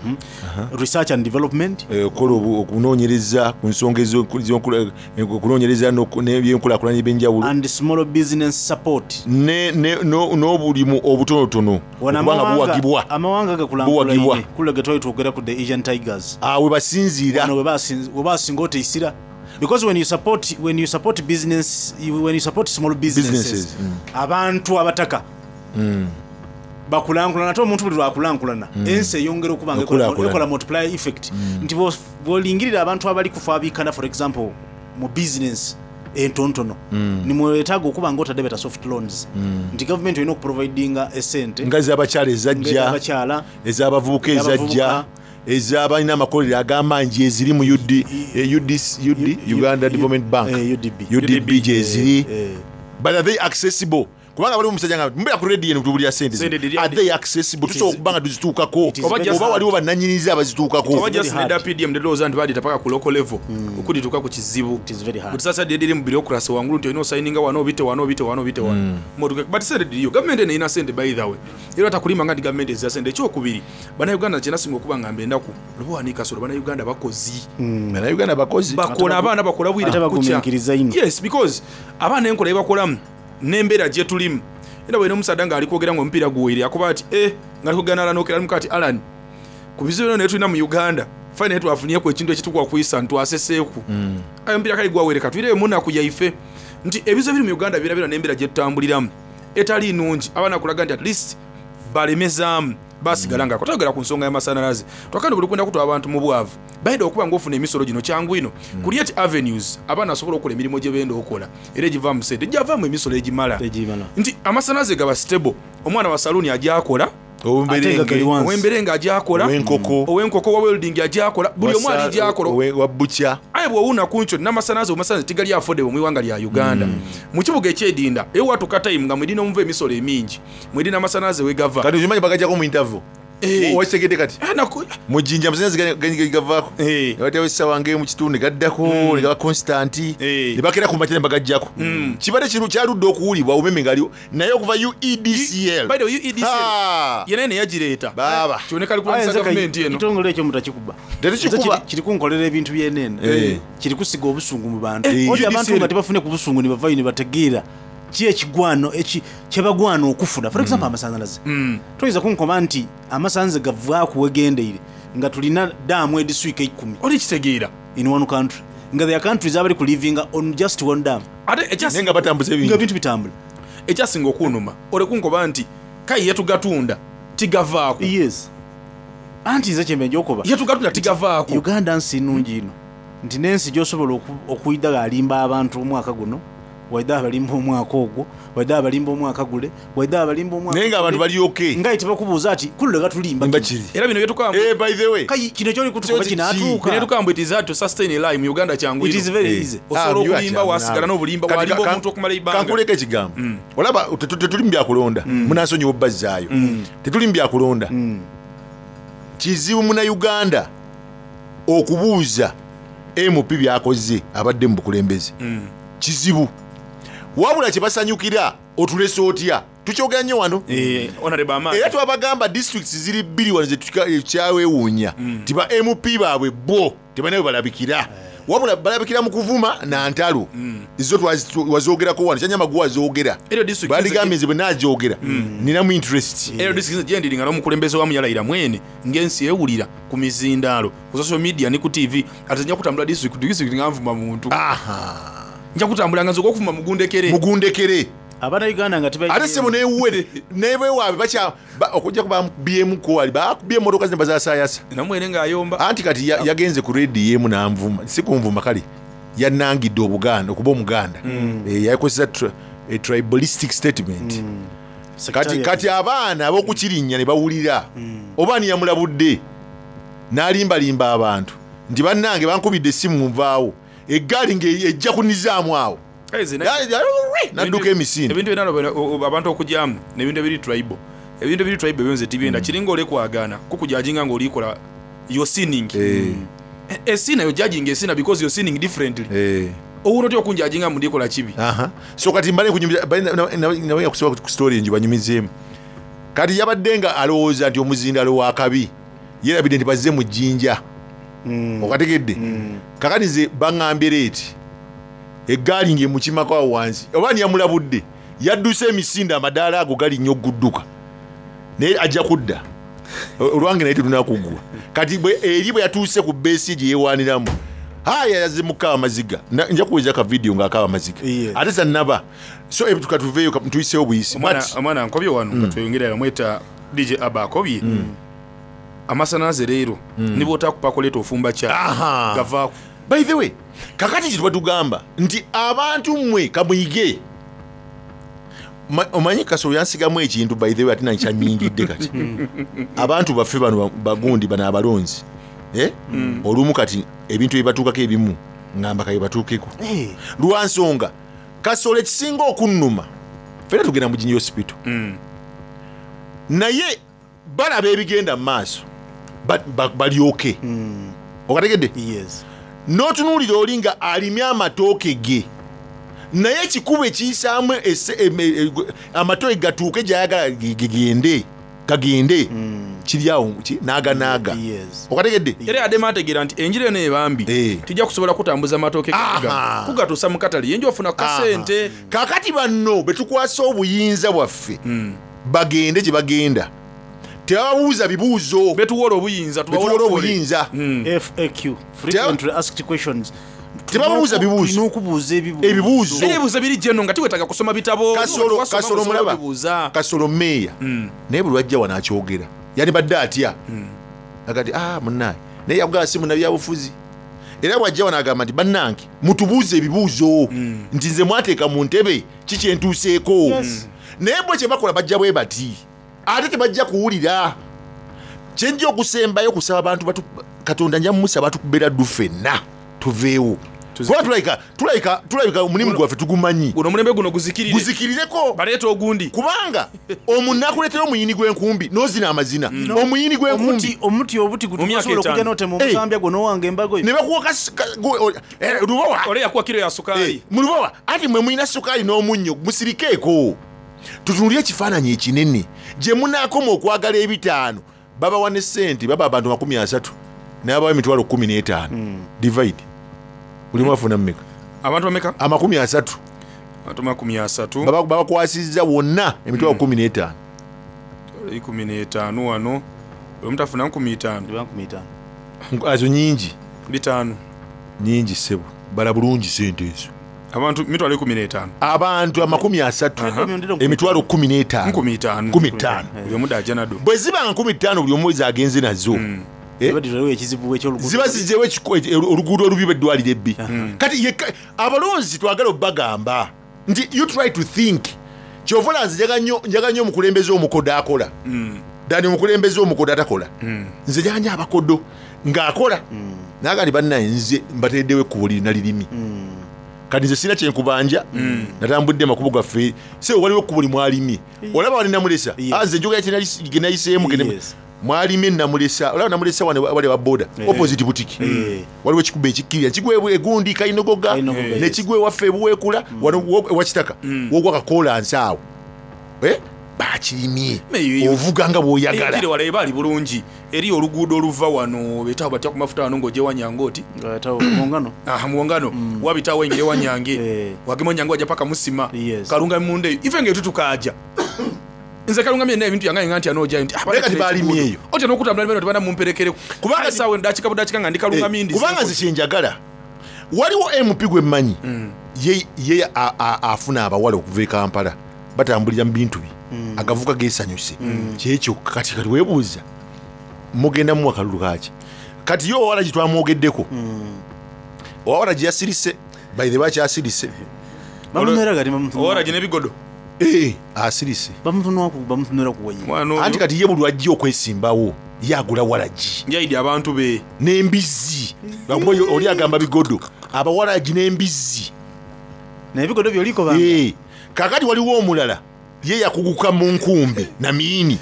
K: research and development,
L: Eh, okukola obu- okunoonyereza ku nsonga ezo- ez'enkula- eh, okunoonyereza n'oku- n'ebyenkulaakulanya ebyenjawulo
K: and small business support.
L: Ne- ne- no- n'obulimu obutonotono
K: Wano
L: okuba nga
K: amawanga-
L: buwagibwa
K: amawanga
L: Buwagibwa.
K: gakulankulanye kule ge twali twogera ku the Asian Tigers.
L: Awe basinziira.
K: Wano we basin- we basinga oteisira, because when you support when you support business you- when you support small businesses,
L: Businesses, mm.
K: abantu abataka
L: Mm.
K: bakulankulana, ate omuntu buli lwakulankulana
L: Mm.
K: ensi eyongera okuba nga ekola-
L: Okulaakulana.
K: ekola multiplier effect, nti bw'o- bw'olingirira abantu abali kufaabikana, for example mu business entonotono,
L: Mm.
K: nimwetaaga okuba nga otadde beta soft loans,
L: Mm.
K: nti gavumenti olina okuprovidinga esente
L: nga ez'abakyala ezajja,
K: ez'abakyala,
L: ez'abavubuka ezajja, ez'abalina amakolero ag'amaanyi gyeziri mu U D, eh, U D, U D, Uganda Development Bank, U D B gyeziri, but are they accessible? Kubanga waliwo omusajja nga mbeera ku radio eno tubulira sente
M: Sente
L: zino.
M: diri-
L: Are they accessible? Tusobola okuba nga tuzituukako
M: is very
L: oba
M: hard.
L: waliwo bannanyinizi abazituukako?
M: Oba just nedda P D M ndowooza nti baadita paka ku local level okudituuka ku kizibu. Butisasa diri mu bureaucracy wangulu nti olina osayininga wano, obite wano, obite wano, obite wano motuke, but sente diriyo. Gavumenti eno erina sente, by the way, era takulima nga nti gavumenti ezira sente. Ekyokubiri, bannayuganda kyenasinga okuba nga mbe ennaku loba wanika solo, bannayuganda bakozi.
L: Bannayuganda bakozi.
M: Bakola, abaana bakola bwire
K: Ate
M: kukya.
K: bagumiikiriza nnyo.
M: Yes, because abaana enkola ebakolamu n'embeera gye tulimu, era bwena omusaadda ng'ali kwogera ng'omupiira guweire akuba ati eh ng'ali kwogera n'Alan Okera alimuka ati Alan ku bizibu byonna naye tulina mu Uganda fine, naye twafunyeku ekintu ekitukuwa kuyisa ntwaseseeku ayo omupiira kale gwawere katwireyo munaku yaife nti ebizibu ebiri mu Uganda birabira n'embeera gye tutambuliramu etali nnungi, abaana kulaga nti at least balemezaamu basigala nga twayogera ku nsonga y'amasannyalaze twakandi buli kwenda kutwala abantu mu bwavu bayenda okuba ng'ofuna emisolo gino kyangu ino create avenues abaana asobola okukola emirimu gye benda okukola era egivaamu sente gyavaamu emisolo egimala nti amasannyalaze gaba stable, omwana wa saluuni ajakola,
L: Ow'emberenge.
K: Ate nga gali wansi.
M: ow'emberenge ajakola,
L: Ow'enkoko.
M: ow'enkoko, wa welding ajakola, buli omu ali gyakola
L: wa butcher.
M: Aye bw'owuuna ku nkyo n'amasannyalaze omasannyalaze tigali affordable mu iwanga lya Uganda, mu kibuga ekyedinda eyo watuuka time nga mwedina omuva emisolo emingi, mwedina amasannyalaze wegava.
L: Kati okimanyi bagajjako mu interval? Wakitegedde kati mu Jjinja amasannyalaze gavaako nebatewo essaawa ng'emu mu kitundu ne gaddako ne gaba constant ne bakeera ku makya ne bagajjako. Kibadde kino kyaludde okuwulibwa umeme ngaliwo naye okuva U E D C L.
M: By the way, U E D C L yena ene yagireeta
L: baaba
M: kiboneka ali kulwanyisa gavumenti eno.
K: Ekitongole ekyo mutakikuba.
L: Tetukikuba.
K: Nze kiri- kiri kunkolera ebintu byenene,
L: Eh.
K: kiri kusiga obusungu mu bantu.
L: Eh.
K: Oti abantu
L: U D C L.
K: nga tebafune ku busungu ne bavayo ne bategeera ki ekigwano eki- kyebagwana okufuna, for example amasannyalaze. Toyinza kunkoma nti amasannyalaze gavaaku wegendeire nga tulina daamu ediswika ekkumi
M: oli kitegeera
K: in one country, nga there are countries abali ku livinga on just one dam.
M: Ate ekyasi-
L: Naye nga batambuza ebintu.
K: Nga ebintu bitambula.
M: Ekyasinga okunuma olekunkoba nti kayi yetugatunda tigavaako.
K: Yes, anti nze kyembe njokuba
M: yetugatunda tigavaako.
K: Uganda nsi nnungi ino. Nti n'ensi gy'osobola oku- okwidha ghalimba abantu omwaka guno, waidha abalimba omwaka ogwo, waidha abalimba omwaka gule, waidha abalimba omwaka
L: Naye ng'abantu
K: gule.
L: bali okay.
K: Nga tebakubuuza ati kulule gatulimba
L: kiri.
M: Era bino byetukamba
L: Eh, by the way.
K: Kai kino kyoli kutukuba kinaatuuka.
M: Bino byetukamba it is hard to sustain a lie mu Uganda kyangu
K: It is very
L: Eh.
K: easy.
M: Osobola
L: Ah,
M: okulimba
L: you
M: wasigala n'obulimba
L: Kati
M: walimba
L: ka-
M: omuntu okumala ebbanga.
L: Kankuleka ekigambo. Olaba tetu- tetuli mu byakulonda. Munansonyiwa obbazaayo. Tetuli mu byakulonda. Kizibu munnayuganda okubuuza M P by'akoze abadde mu bukulembeze. Kizibu. Wabula kye basanyukira otulese otya? Tukyogera nnyo wano.
M: Eh, Honorable Amani.
L: Era twabagamba districts ziri bbiri wano zetukyawewuunya ti ba M P baabwe bo tebalina bwe balabikira, wabula balabikira mu kuvuma na ntalo. Zo twazi- wazogerako wano, kyanyamagu wazoogera.
M: Eryo district
L: Bandigambye nze bwe nagyogera ninamu interest.
M: Era district gyendiri nga n'omukulembeze wamu yalayira mwene ng'ensi ewulira ku mizindaalo, ku social media ne ku T V, ate nja kutambula district district nga nvuma muntu, nja kutambula nga nze okuvuma mugundekere.
L: Mugundekere.
K: Abannayuganda nga tebalina-
L: Ate sebo newuwe nebewaabwe bakya ba- okujja kubabyemu wali bakubye emotoka zino bazasaayasa.
M: Namwene ng'ayomba.
L: Anti kati ya- yagenze ku rediyo emu nanvuma, si kunvuma, kale yanangidde obuganda okuba omuganda. Eh, yakozesa tri- a tribalistic statement. Kati, kati abaana ab'okukirinnya ne bawulira oba ani yamulabudde n'alimbalimba abantu nti bannange bankubidde essimu nvaawo, eggaali ng'ejja kunizaamu awo. Nadduka emisinde.
M: Ebintu byonna abantu okujyamu n'ebintu ebiri tribal, ebintu ebiri tribal ebyo nze tibiyenda. Kiringa olekwagaana kukujajinga ng'olikola, you're sinning.
L: Eh.
M: E- esina you're judging esina because you're sinning differently. Owuno otya okunjajinga mundikola kibi?
L: Aha. So kati mbale kunyumiza nawe yakusobola ku story enjo banyumizeemu. Kati yabadde nga alowooza nti omuzindalo wa kabi, yerabidde nti bazze mu jjinja. Okategedde? Kakati nze baŋŋambye leeti eggaali ng'emukimako awo wansi, oba niyamulabudde yadduse emisinde, amadaala ago gali nnyo ogudduka, naye ajja kudda olwange naye tetunakuggwa. Kati bwe- eri bwe yatuuse ku beesi gye yeewaaniramu, haya yazze mukaaba amaziga. Na- nja kuweza ka vidiyo ng'akaaba amaziga ate sannaba. So ebyo tukatuveeyo ka- tuyiseewo buyisi.
M: Omwana
L: But-
M: omwana nkobye wano
L: Mm.
M: katweyongere bamweta D J Aba akobye amasanyalaze leero
L: Mm.
M: niba otakupakoleeta ofumba kya
L: Aha.
M: gavaako.
L: By the way, kakati kye tubatugamba nti abantu mmwe kamuyige. Ma- omanyi Kasolo yansigamu ekintu, by the way, ate nankyanyingidde. Kati abantu baffe bano ba- bagundi bano abalonzi, eh? Olumu kati ebintu ebibatuukako ebimu ngamba kabibatuukeko lwansonga Kasolo ekisinga okunnuma, fena tugenda mu Jinja Hospital, naye balaba ebigenda mu maaso ba- ba- balyoke. Okategedde? N'otunuulira oli nga alimye amatooke ge, naye ekikubo ekiyisaamu esse- em- e- e- amatooke gatuuke gyayagala ge- gagende gagende kiri awo ki- naaganaaga. Okategedde?
M: Era yadde ategeera nti enjira eno ebambi tijja kusobola kutambuza matooke
L: Aha.
M: kugatuusa mu katale, yenja ofuna kasente.
L: Kakati banno betukwasa obuyinza bwaffe bagende gye bagenda tebababuuza bibuuzo.
M: Betuwola obuyinza.
L: Betuwola obuyinza.
K: F A Q, frequently asked questions.
L: Tebabuuza bibuuzo.
K: Tulina okubuuza ebibuuzo.
L: Ebibuuzo.
M: Era ebibuuzo biri geno nga tiwetaaga kusoma bitabo.
L: Kasolo
M: Wasoma
L: Kasolo
M: ng'osobola
L: mulaba
M: okubibuuza.
L: Kasolo meeya, naye buli lwajja wano akyogera yandibadde atya agati ah munnaye, naye yakugamba si munnabyabufuzi. Era bwajja wano agamba nti bannange mutubuuze ebibuuzo nti nze mwateeka mu ntebe kikyentuuseeko.
K: Yes.
L: Naye bwe kyebakola bajja bwe bati ate tebajja kuwulira. Kyenjja okusembayo kusaba abantu batu, Katonda nja mumusaba tukubeera ddu ffenna tuveewo, kuba tulabika tulabika tulabika omulimu gwaffe tugumanyi.
M: Guno omulembe guno guzikirire.
L: Guzikirireko.
M: Baleeta ogundi.
L: Kubanga omunakuleetera omuyini gw'enkumbi n'ozina amazina omuyini gw'enkumbi.
K: Omuti obuti gutusobola okujja n'otema omusambya gwo n'owanga embago yo.
L: Ne bakuwa lubowa.
M: Ole yakuwa kiro ya sukaali.
L: Mu lubowa ati mwe mulina sukaali n'omunnyo, musirikeeko tutunulire ekifaananyi ekinene gye munaakoma okwagala ebitaano. Babawa ne sente, baba abantu makumi asatu nababawa emitwalo kumi n'etaano, divide, buli omu afuna mmeka?
M: Abantu bameka?
L: Amakumi asatu.
M: Abantu makumi asatu.
L: Baba- babakwasizza wonna emitwalo kumi n'etaano.
M: Ikumi n'etaano wano omuntu afuna nkumi itaano.
L: Azo nyingi.
M: Bitaano.
L: Nyingi ssebo, bala bulungi sente ezo.
M: Abantu mitwalo ikumi n'etaano.
L: Abantu amakumi asatu, emitwalo kumi n'etaano.
M: Nkumi itaano.
L: Kumi ttaano.
M: Buli omu dajja nado.
L: Bwe ziba nga nkumi ttaano buli omu agenze nazo, Eh?
K: Baditwalewo ekizibu eky'oluguudo.
L: Ziba zizeewo ekiko- e- oluguudo olubi beddwaliro ebbi. Kati yekka- abalonzi twagala obbagamba nti you try to think. Kyova olaba nze njaga nnyo- njaga nnyo omukulembeze omukodo akola dani omukulembeze omukodo atakola. Nze njaga nnyo abakodo ng'akola naga nti bannaye nze mbatereddewo ekkubo lirina lirimi. Kati nze sirina kyenkubanja, natambudde amakubo gaffe se waliwo ekkubo limwalimye olaba wali Namulesa. Ah, nze njogera kye ge nayiseemu ge mwalimye Namulesa, olaba Namulesa wano wali wa boda
K: Eh.
L: opposite butiki, waliwo ekikubo ekikkirira kigwa egundi Kainogoga
K: Kainogoga,
L: nekigwa ewaffe ebuweekula wano wo- ewakitaka wogwa kakolansi awo. Eh, bakirimye ovuga nga bw'oyagala.
M: Ejire wala ebaali bulungi eri oluguudo oluva wano betawo batya ku mafuta wano ng'ojja ewanyange oti
K: muwongano.
M: Ah, muwongano wabitawo engeri ewanyange wagema onyange wajja paka musima kalunga munda eyo ife ngaetutukaja nze kalunga myena ebintu yange nga nti anoojayo nti ah,
L: Naye kati baalimye eyo.
M: otya n'okutambula nibeno tebana mumperekereko kubanga saawa ndakika budakika nga ndi kalunga
L: Eh,
M: mindi.
L: Kubanga nze kyenjagala waliwo M P gwe mmanyi ye, ye a- a- afuna abawala okuva e Kampala batambulira mu bintu bye agavuka gesanyuse kyekyo. Kati kati weebuuza mugenda muwa kalulu kaki? Kati ye owala gye twamwogeddeko owala gye yasirise by the way akyasirise.
M: Owala gye n'ebigodo.
L: Eh, asirise.
K: Bamutunula kuwenye.
L: Anti kati ye buli lwajja okwesimbawo ye agula walagi
M: yaidi abantu be
L: n'embizzi. Lwakuba oli- oli agamba bigodo abawalagi n'embizzi.
K: N'ebigodo byoliko
L: banga. Kakati waliwo omulala ye yakuguka mu nkumbi na miini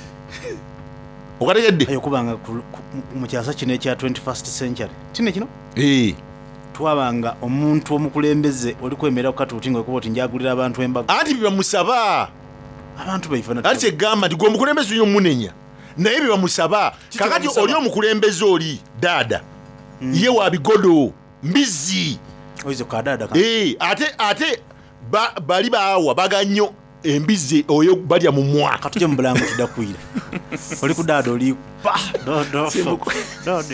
L: okategedde.
K: Okubanga ku- ku- mu kyasa kino ekya twenty-first century tine kino
L: Eh.
K: twabanga omuntu omukulembeze oli kwemera kukatuuti nga okuba oti njagulira abantu embaga.
L: Anti byebamusaba
K: abantu baife.
L: Anti kyegamba nti gwe omukulembeze olina omunenya naye byebamusaba. Kakati
K: bamusaba?
L: oli omukulembeze oli daada ye wa bigodo mbizzi.
K: Oize kadaada.
L: Eh, ate ate ba- bali baawa bagannyo embizzi oyo balya mu mwaka.
K: Katujje mu bulango tudakwira oli ku daada oli pa dodo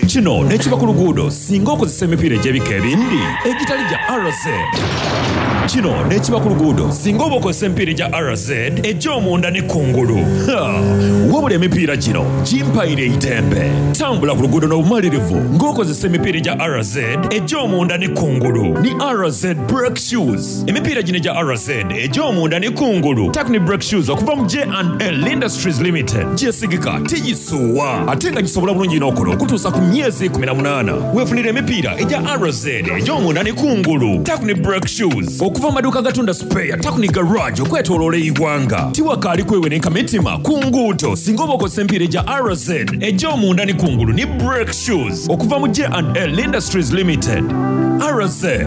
B: Kino nekiba ku luguudo singa okozesa emipiira egy'ebika ebindi egitali gya R Z. Kino nekiba ku luguudo singa oba okozesa emipiira egya R Z egy'omunda ne kungulu. Ha! Wabula emipiira gino gimpaire eitembe tambula ku luguudo n'obumalirivu ng'okozesa emipiira egya R Z egy'omunda ne kungulu ni R Z brake shoes. Emipiira gino egya R Z egy'omunda ne kungulu Takni brake shoes okuva mu J and L Industries Limited gyesigika tigisuuwa ate nga gisobola bulungi n'okola okutuusa ku myezi kkumi na munaana. Weefunira emipiira egya R Z egy'omunda ne kungulu Takni brake shoes okuva mu maduuka gatunda spare Takni garage okwetooloola eggwanga. Tiwakaali kweweneka mitima ku nguuto singa oba okozesa emipiira egya R Z egy'omunda ne kungulu ne brake shoes okuva mu J and L Industries Limited. R Z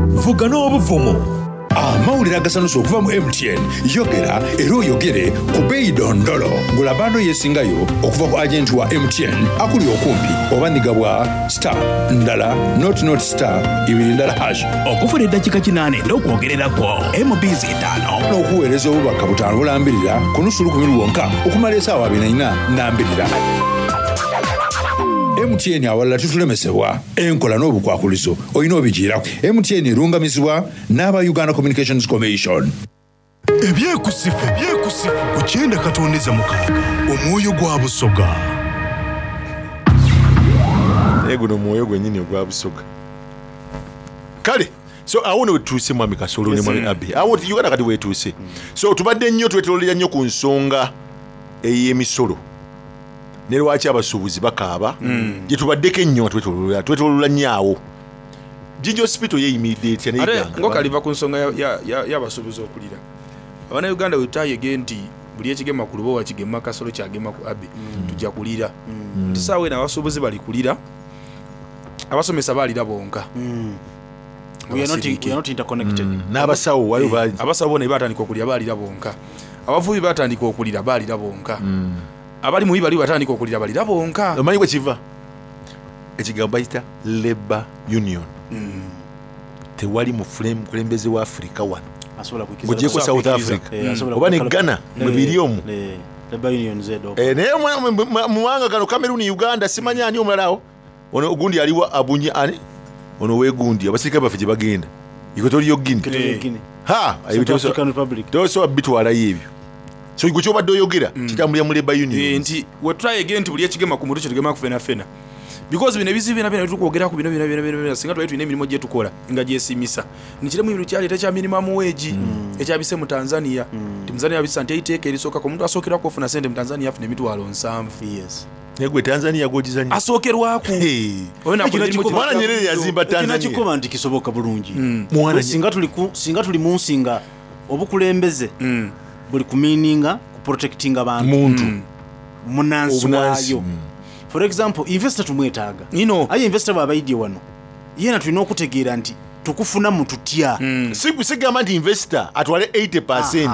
B: vuga n'obuvumu.
N: Amawulire agasanusa okuva mu M T N. Yogera era oyogere ku beeyi dondolo gula bando yesingayo okuva ku agenti wa M T N akuli okumpi oba nigabwa star ndala not not star ibiri ndala hash.
O: Okufuna eddakiika kinaana n'okwogererako M Bs etaano
N: n'okuweereza obubaka butaano bulambirira ku nusu lukumi lwonka okumala esaawa abiri na nnya nambirira. M T N awalala tutulemesebwa enkola n'obukwakulizo olina obigiirako. M T N erungamizibwa n'aba Uganda Communications Commission.
R: Ebyekusifu ebyekusifu ku kyenda katondeza mukaaga omwoyo gwa Busoga.
L: Naye guno omwoyo gwennyini ogwa Busoga. Kale so awo ne wetuuse mwami Kasolo ne mwami Abi awo Uganda kati wetuuse. So tubadde nnyo twetololera nnyo ku nsonga ey'emisolo ne lwaki abasuubuzi bakaaba gye tubaddeko ennyo nga twetololera twetolola nnyo awo. Jinja Hospital yeeyimiridde etya
M: Ate
L: neyiganga?
M: ngokaliva ku nsonga ya- ya- ya- y'abasuubuzi okulira Abannayuganda wetayege nti buli ekigema ku lubowa kigema Kasolo kyagema ku Abe tujja kulira nti saawa eno abasuubuzi bali kulira abasomesa baalira bonka.
K: We are not- we are not interconnected.
L: N'abasawo waliwo bangi.
M: Abasawo bona batandika okulira baalira bonka abavubi batandika okulira baalira bonka abali mubi bali batandika okulira balira bonka.
L: Omanyi bwe kiva ekigambo bayita labor union tewali mukulembeze wa Afirika wano
K: Asobola kukkiriza-
L: ng'ogyeko South Africa
K: Eh, asobola
L: oba ne
K: kukkiriza-
L: Ghana mwe
K: Eh,
L: biri omwo.
K: eh, labor unions edo.
L: Eh, naye mu- mu- mu- mu mawanga gano Cameroon, Uganda simanyi ani omulala awo ono gundi aliwa abunye ani ono wegundi abasirikale baffe gye bagenda Equatorial
K: Equatorial
L: Guinea.
K: Guinea.
L: Ha,
K: Central African Republic.
L: tosobola bitwalayo ebyo. So gwe kyobadde oyogera kitambulira mu labor union.
M: Eh, nti wetwayege nti buli ekigema ku mutwe kyetugema ku fena fena Because bino ebizibu byona byona byetukwogeraku bino byona byona byona singa twali tulina emirimu gyetukola nga gyesimisa nikiremu ebintu kyaleeta ekya minimum wage ekyabise mu Tanzania. Nti Tanzania babisa nti eiteeka erisookaku omuntu asookerwaku ofuna sente mu Tanzania afuna emitwalo nsanvu.
K: Yes.
L: Naye gwe Tanzania gwogizanya
M: asookerwaku.
L: Mwana Nyerere yazimba Tanzania.
K: Ekino nti kisoboka bulungi.
L: Mwana
K: Singa tuli ku- singa tuli mu nsi nga obukulembeze buli kumininga kuprotectinga bantu
L: Muntu.
K: munansi
L: Obunansi,
K: waayo. For example, investor tumwetaaga
M: ino,
K: aye investor bw'aba aidye wano yena tulina okutegeera nti tukufunamu tutya.
L: Si- sigamba nti investor atwale eighty percent,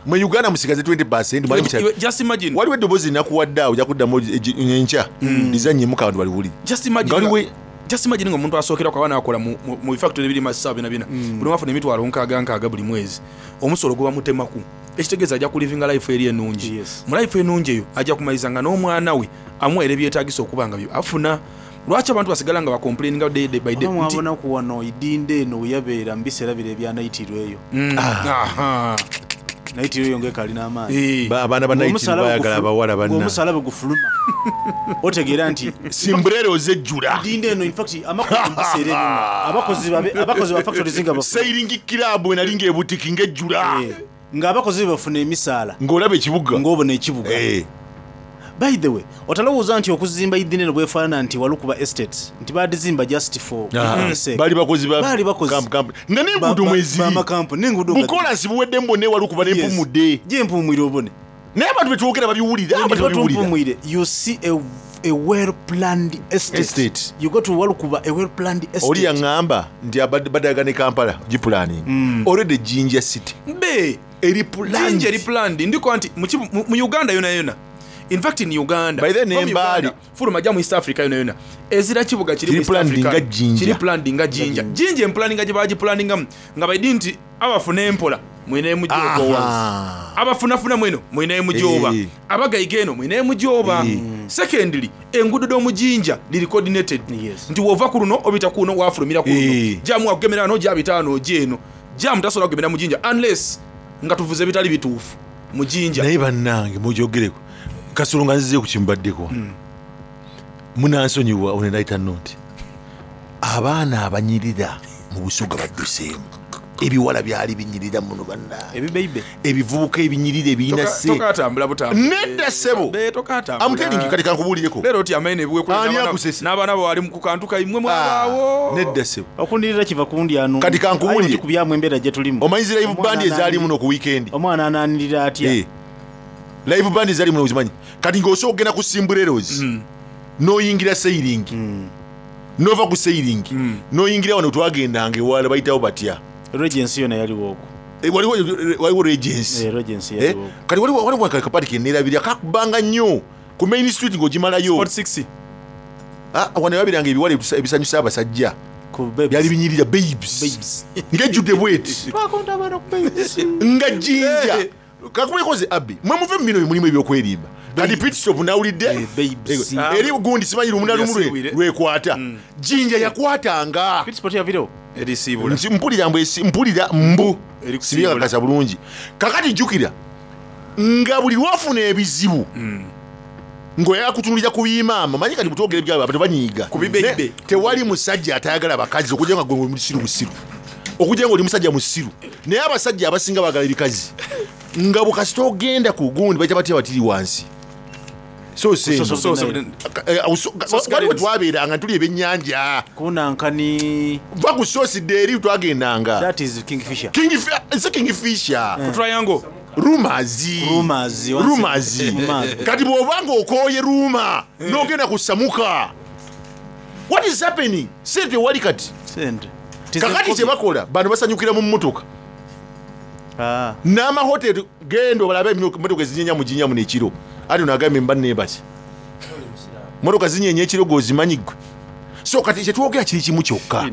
L: mu Uganda musigaze twenty percent. Mwali mukyali-
M: Just imagine.
L: Waliwo eddoboozi linakuwadde awo, jakuddamu enkya lizannyemu abantu baliwulire.
M: Just imagine
L: Nga waliwo-
M: nga- just imagine nga omuntu asookera kwaba nakola mu- mu mu bifactory ebiri masaawa byona byona, buli omu afuna emitwalo nkaaga nkaaga buli mwezi, omusolo guba mutemaku, ekitegeeza ajja kulivinga life eri ennungi. Mu life ennungi eyo ajja kumaliza nga n'omwana we amuwaire ebyetaagisa okuba nga byo afuna. Lwaki abantu basigala nga bacomplaininga day day by day
K: Oba
M: nti-
K: mwabonaku wano idinda eno weyabeera mu biseera biro ebyanaitirwa eyo.
M: Mm. Aha.
K: Naitirwa eyo ngaekalina amaanyi.
L: Ba- abaana ba Naitirwa bayagala abawala banna.
K: Ng'omusalaba gufuluma otegeera nti
L: simbrero ozejjula
K: idinda eno. In fact, amakozi mu biseera ebyo nga abakozi babe- abakozi ba factories nga bafuna
L: sailing club enali ng'ebutiki ng'ejjula,
K: ng'abakozi be bafuna emisaala,
L: ng'olaba ekibuga,
K: ng'obona ekibuga. By the way, otalowooza nti okuzimba idini eno bwefaanana nti walukuba estates nti badizimba just for
L: Ah,
K: the sake.
L: Bali bakozi ba-
K: Baali bakozi
L: kamp- kamp- nga n'enguudo mweziri.
K: Bamakampuni n'enguudo nga-
L: Bukolansi buwedde mbone walukuba n'empumudde.
K: Gyempumwire obone.
L: Naye abantu betwogera babiwulira, abantu babiwulira.
K: Babiwulira. You see a, a well planned estate.
L: Estate.
K: You go to Walukuba, a well planned estate.
L: Oli yaŋŋamba nti abad- badaga ne Kampala gipulaninga already Jinja City
M: Be
L: eri
M: Jinja eri planned. Ndiko nti mu kibu- mu mu Uganda yona yona, in fact in Uganda,
L: By then
M: from
L: Embaali.
M: Uganda, fuluma jja mu East Africa yona yona, ezira kibuga kiri
L: Kiri
M: mu East
L: planned
M: Africa
L: nga Jinja.
M: kiri planned nga Jinja. Jinja emplaninga gye bagiplaningamu nga baidi nti abafuna empola mwine mujooba,
L: Aha.
M: abafunafuna mweno mwine mujooba,
L: Eh.
M: abagayiga eno mwine mujooba. Secondly, enguudo d'omujinja liri coordinated nti wova ku luno obita kuno wafulumira ku luno,
L: Eh.
M: jamu wakugemera wano jabita wano ojja eno, jamu tasobola kugemera mujinja unless nga tuvuze ebitali bituufu mujinja.
L: Naye bannange mugyogereko kasolo nga nzize ku kimbaddeko, munansonyiwa onenayita noti abaana abanyirira mu Busoga badduseemu. Ebiwala byali binyirira muno bannange,
K: ebibeibe,
L: ebivubuka ebinyirira ebirina se
M: Tokatambula butambula.
L: Nedda ssebo. I'm telling you, kati kankubuulireko.
M: Leero oti amaine
L: Ani akusese?
M: n'abaana bo bali ku kantu kaimwe mwabaawo.
L: Nedda ssebo.
K: Okundirira kiva kundi anu.
L: Kati kankubuulire.
K: Kubyamu embeera gye tulimu.
L: Omanyi zi live
K: Omwana
L: band ezaali
K: ananirira-
L: muno ku weekend?
K: Omwana ananirira atya?
L: Eh. Live band ezaali muno ozimanyi? Kati ng'osobola okugenda ku Simbreros n'oyingira sailing, n'ova ku sailing n'oyingira wano twagendanga ewala bayitawo batya?
K: Regency yona yaliwo okwo.
L: Eh, waliwo waliwo Regency.
K: Eh, Regency
L: Eh,
K: yaliwo okwo.
L: Kati waliwo waliwo akapati keneerabira kakubanga nnyo ku main street ng'ogimalayo. Ah, wano wabiranga ebiwala ebisa- ebisanyusa abasajja byali binyirira, babes, ng'ejjudde bweti
K: Twakonda abaana ku babes.
L: nga Jinja kakubekoze abbi mwe muve mu bino mulimu ebyokweriba. Kati pitstop nawulidde Eh, eri gundi simanyi lumu na lumu lwe-
M: Yasiibwire.
L: lwekwata Jinja yakwatanga.
M: Erisiibula.
L: Nti mpulira mbu esi- mpulira mbu sibyakakasa bulungi. Kakati jjukira nga buli lwafuna ebizibu ng'oyagala kutunulira ku bimaama manyi kati butwogera ebyabwe abantu banyiiga. Ne- tewali musajja atayagala bakazi okujja nga gwe musiru musiru, okujja nga oli musajja musiru, naye abasajja abasinga bagala ebikazi nga bwekasita ogenda ku gundi bayita batya batiri wansi. So
K: So- so- so-
L: waliwo twabeeranga tuli ebyennyanja
K: kunankani
L: va ku sosidde eri twagendanga.
K: That is Kingfisher.
L: Nse Kingfisher.
M: Ku Triangle.
L: Rumors.
K: Rumors,
L: Rumors.
K: Rumors.
L: Kati bw'obanga okooye ruma n'ogenda ku Samuka, what is happening? Sente wali kati.
K: Sente.
L: Kakati kyebakola bano basanyukira mu mmotoka n'amahoteri. Genda obalabe emotoka ezinyenya mu Jinja muno ekiro. Ati onagambye mba nebaki motoka zinyenya ekiro gweozimanyi gwe. So kati kyetwogera kiri kimu kyokka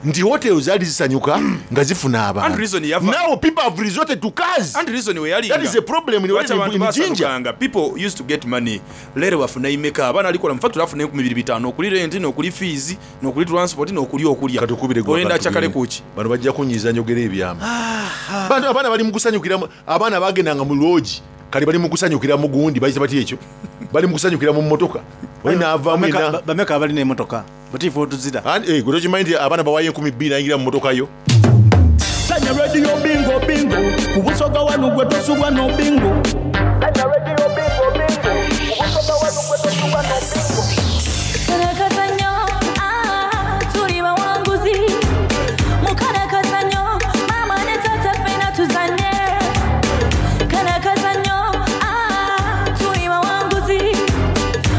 L: nti hotel zaali zisanyuka nga zifuna
M: And
L: abantu.
M: reason yava-
L: Now people have resorted to cars.
M: And reason we yalinga.
L: That is a problem in,
M: Lwaki abantu
L: in Jinja.
M: basanukanga? People used to get money. Leero bafuna imeka abaana alikola mu factory afuna enkumi bibiri bitaano okuli rent n'okuli fees n'okuli transport n'okuli okulya. Oyenda kyakale kuki?
L: Bano bajja kunyiiza njogera ebyama. Bano abaana bali mu kusanyukira mu- abaana bagendanga mu loogi Kale bali mukusanyukira mugundi bayise bati ekyo bali mukusanyukira mu mmotoka. Oli naavaamu
K: Bameka-
L: ina
K: ba- bameka abalina emotoka butiifu otuzira.
L: Eh, gwe tokimanyi nti abaana bawayo enkumi bbiri nayingira mu mmotoka yo.
G: Sanya radio bingo bingo ku Busoga wanu gwe tosubwa no bingo.
S: Kalakazanyo, ah, tuli bawanguzi. Mukalakazanyo, maama ne taata ffenna tuzanye. Kalakazanyo, ah, tuli bawanguzi.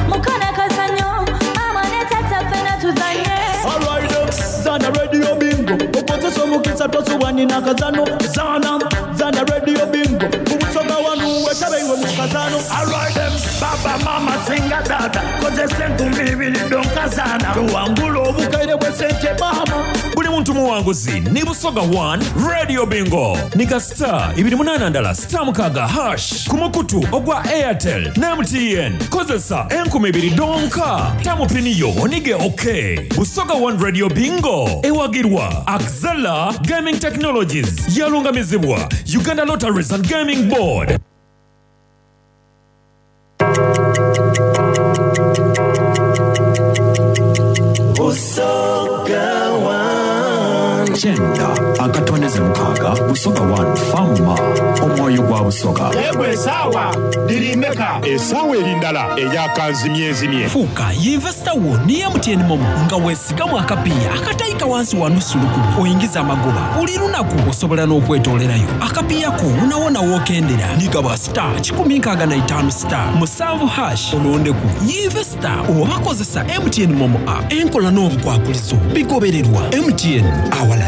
S: Mukalakazanyo, maama ne taata ffenna tuzanye.
G: Alright, zana radio bingo okozesa omukisa tosubwa nina kazano zana zana radio bingo ku Busoga wanu wetabeiwe mu kazano.
O: Alright them, baba mama singa dada kozesa enkumi ibiri donkazana tuwangula obukaire bw'esente mama.
B: Buli muntu muwanguzi ni Busoga one Radio Bingo nika star ibiri munana ndala star mukaga hash ku mukutu ogwa Airtel ne M T N. Kozesa enkumi ibiri donka tamupiniyo onige. Ok, Busoga one Radio Bingo ewagirwa Axela Gaming Technologies, yalungamizibwa Uganda Lotteries and Gaming Board.
G: Busoga One.
T: Kyenda akatondeze mukaaga Busoga one fama omwoyo gwa Busoga.
E: Yegwe esaawa lirimeka esaawa eri ndala eyakanzimyezimye.
A: Fuuka yinvesita wo ne M T N MoMo nga weesigamu akapiiya akatayika wansi wa nusu lukumi oyingiza amagoba buli lunaku. Osobola n'okwetoolerayo akapiiya ko wonawona wookendera. Nigaba star kikumi nkaaga na itaano star musanvu hash olondeku yinvesita oba kozesa M T N MoMo app. Enkola n'obukwakulizo bigobererwa. M T N awalala.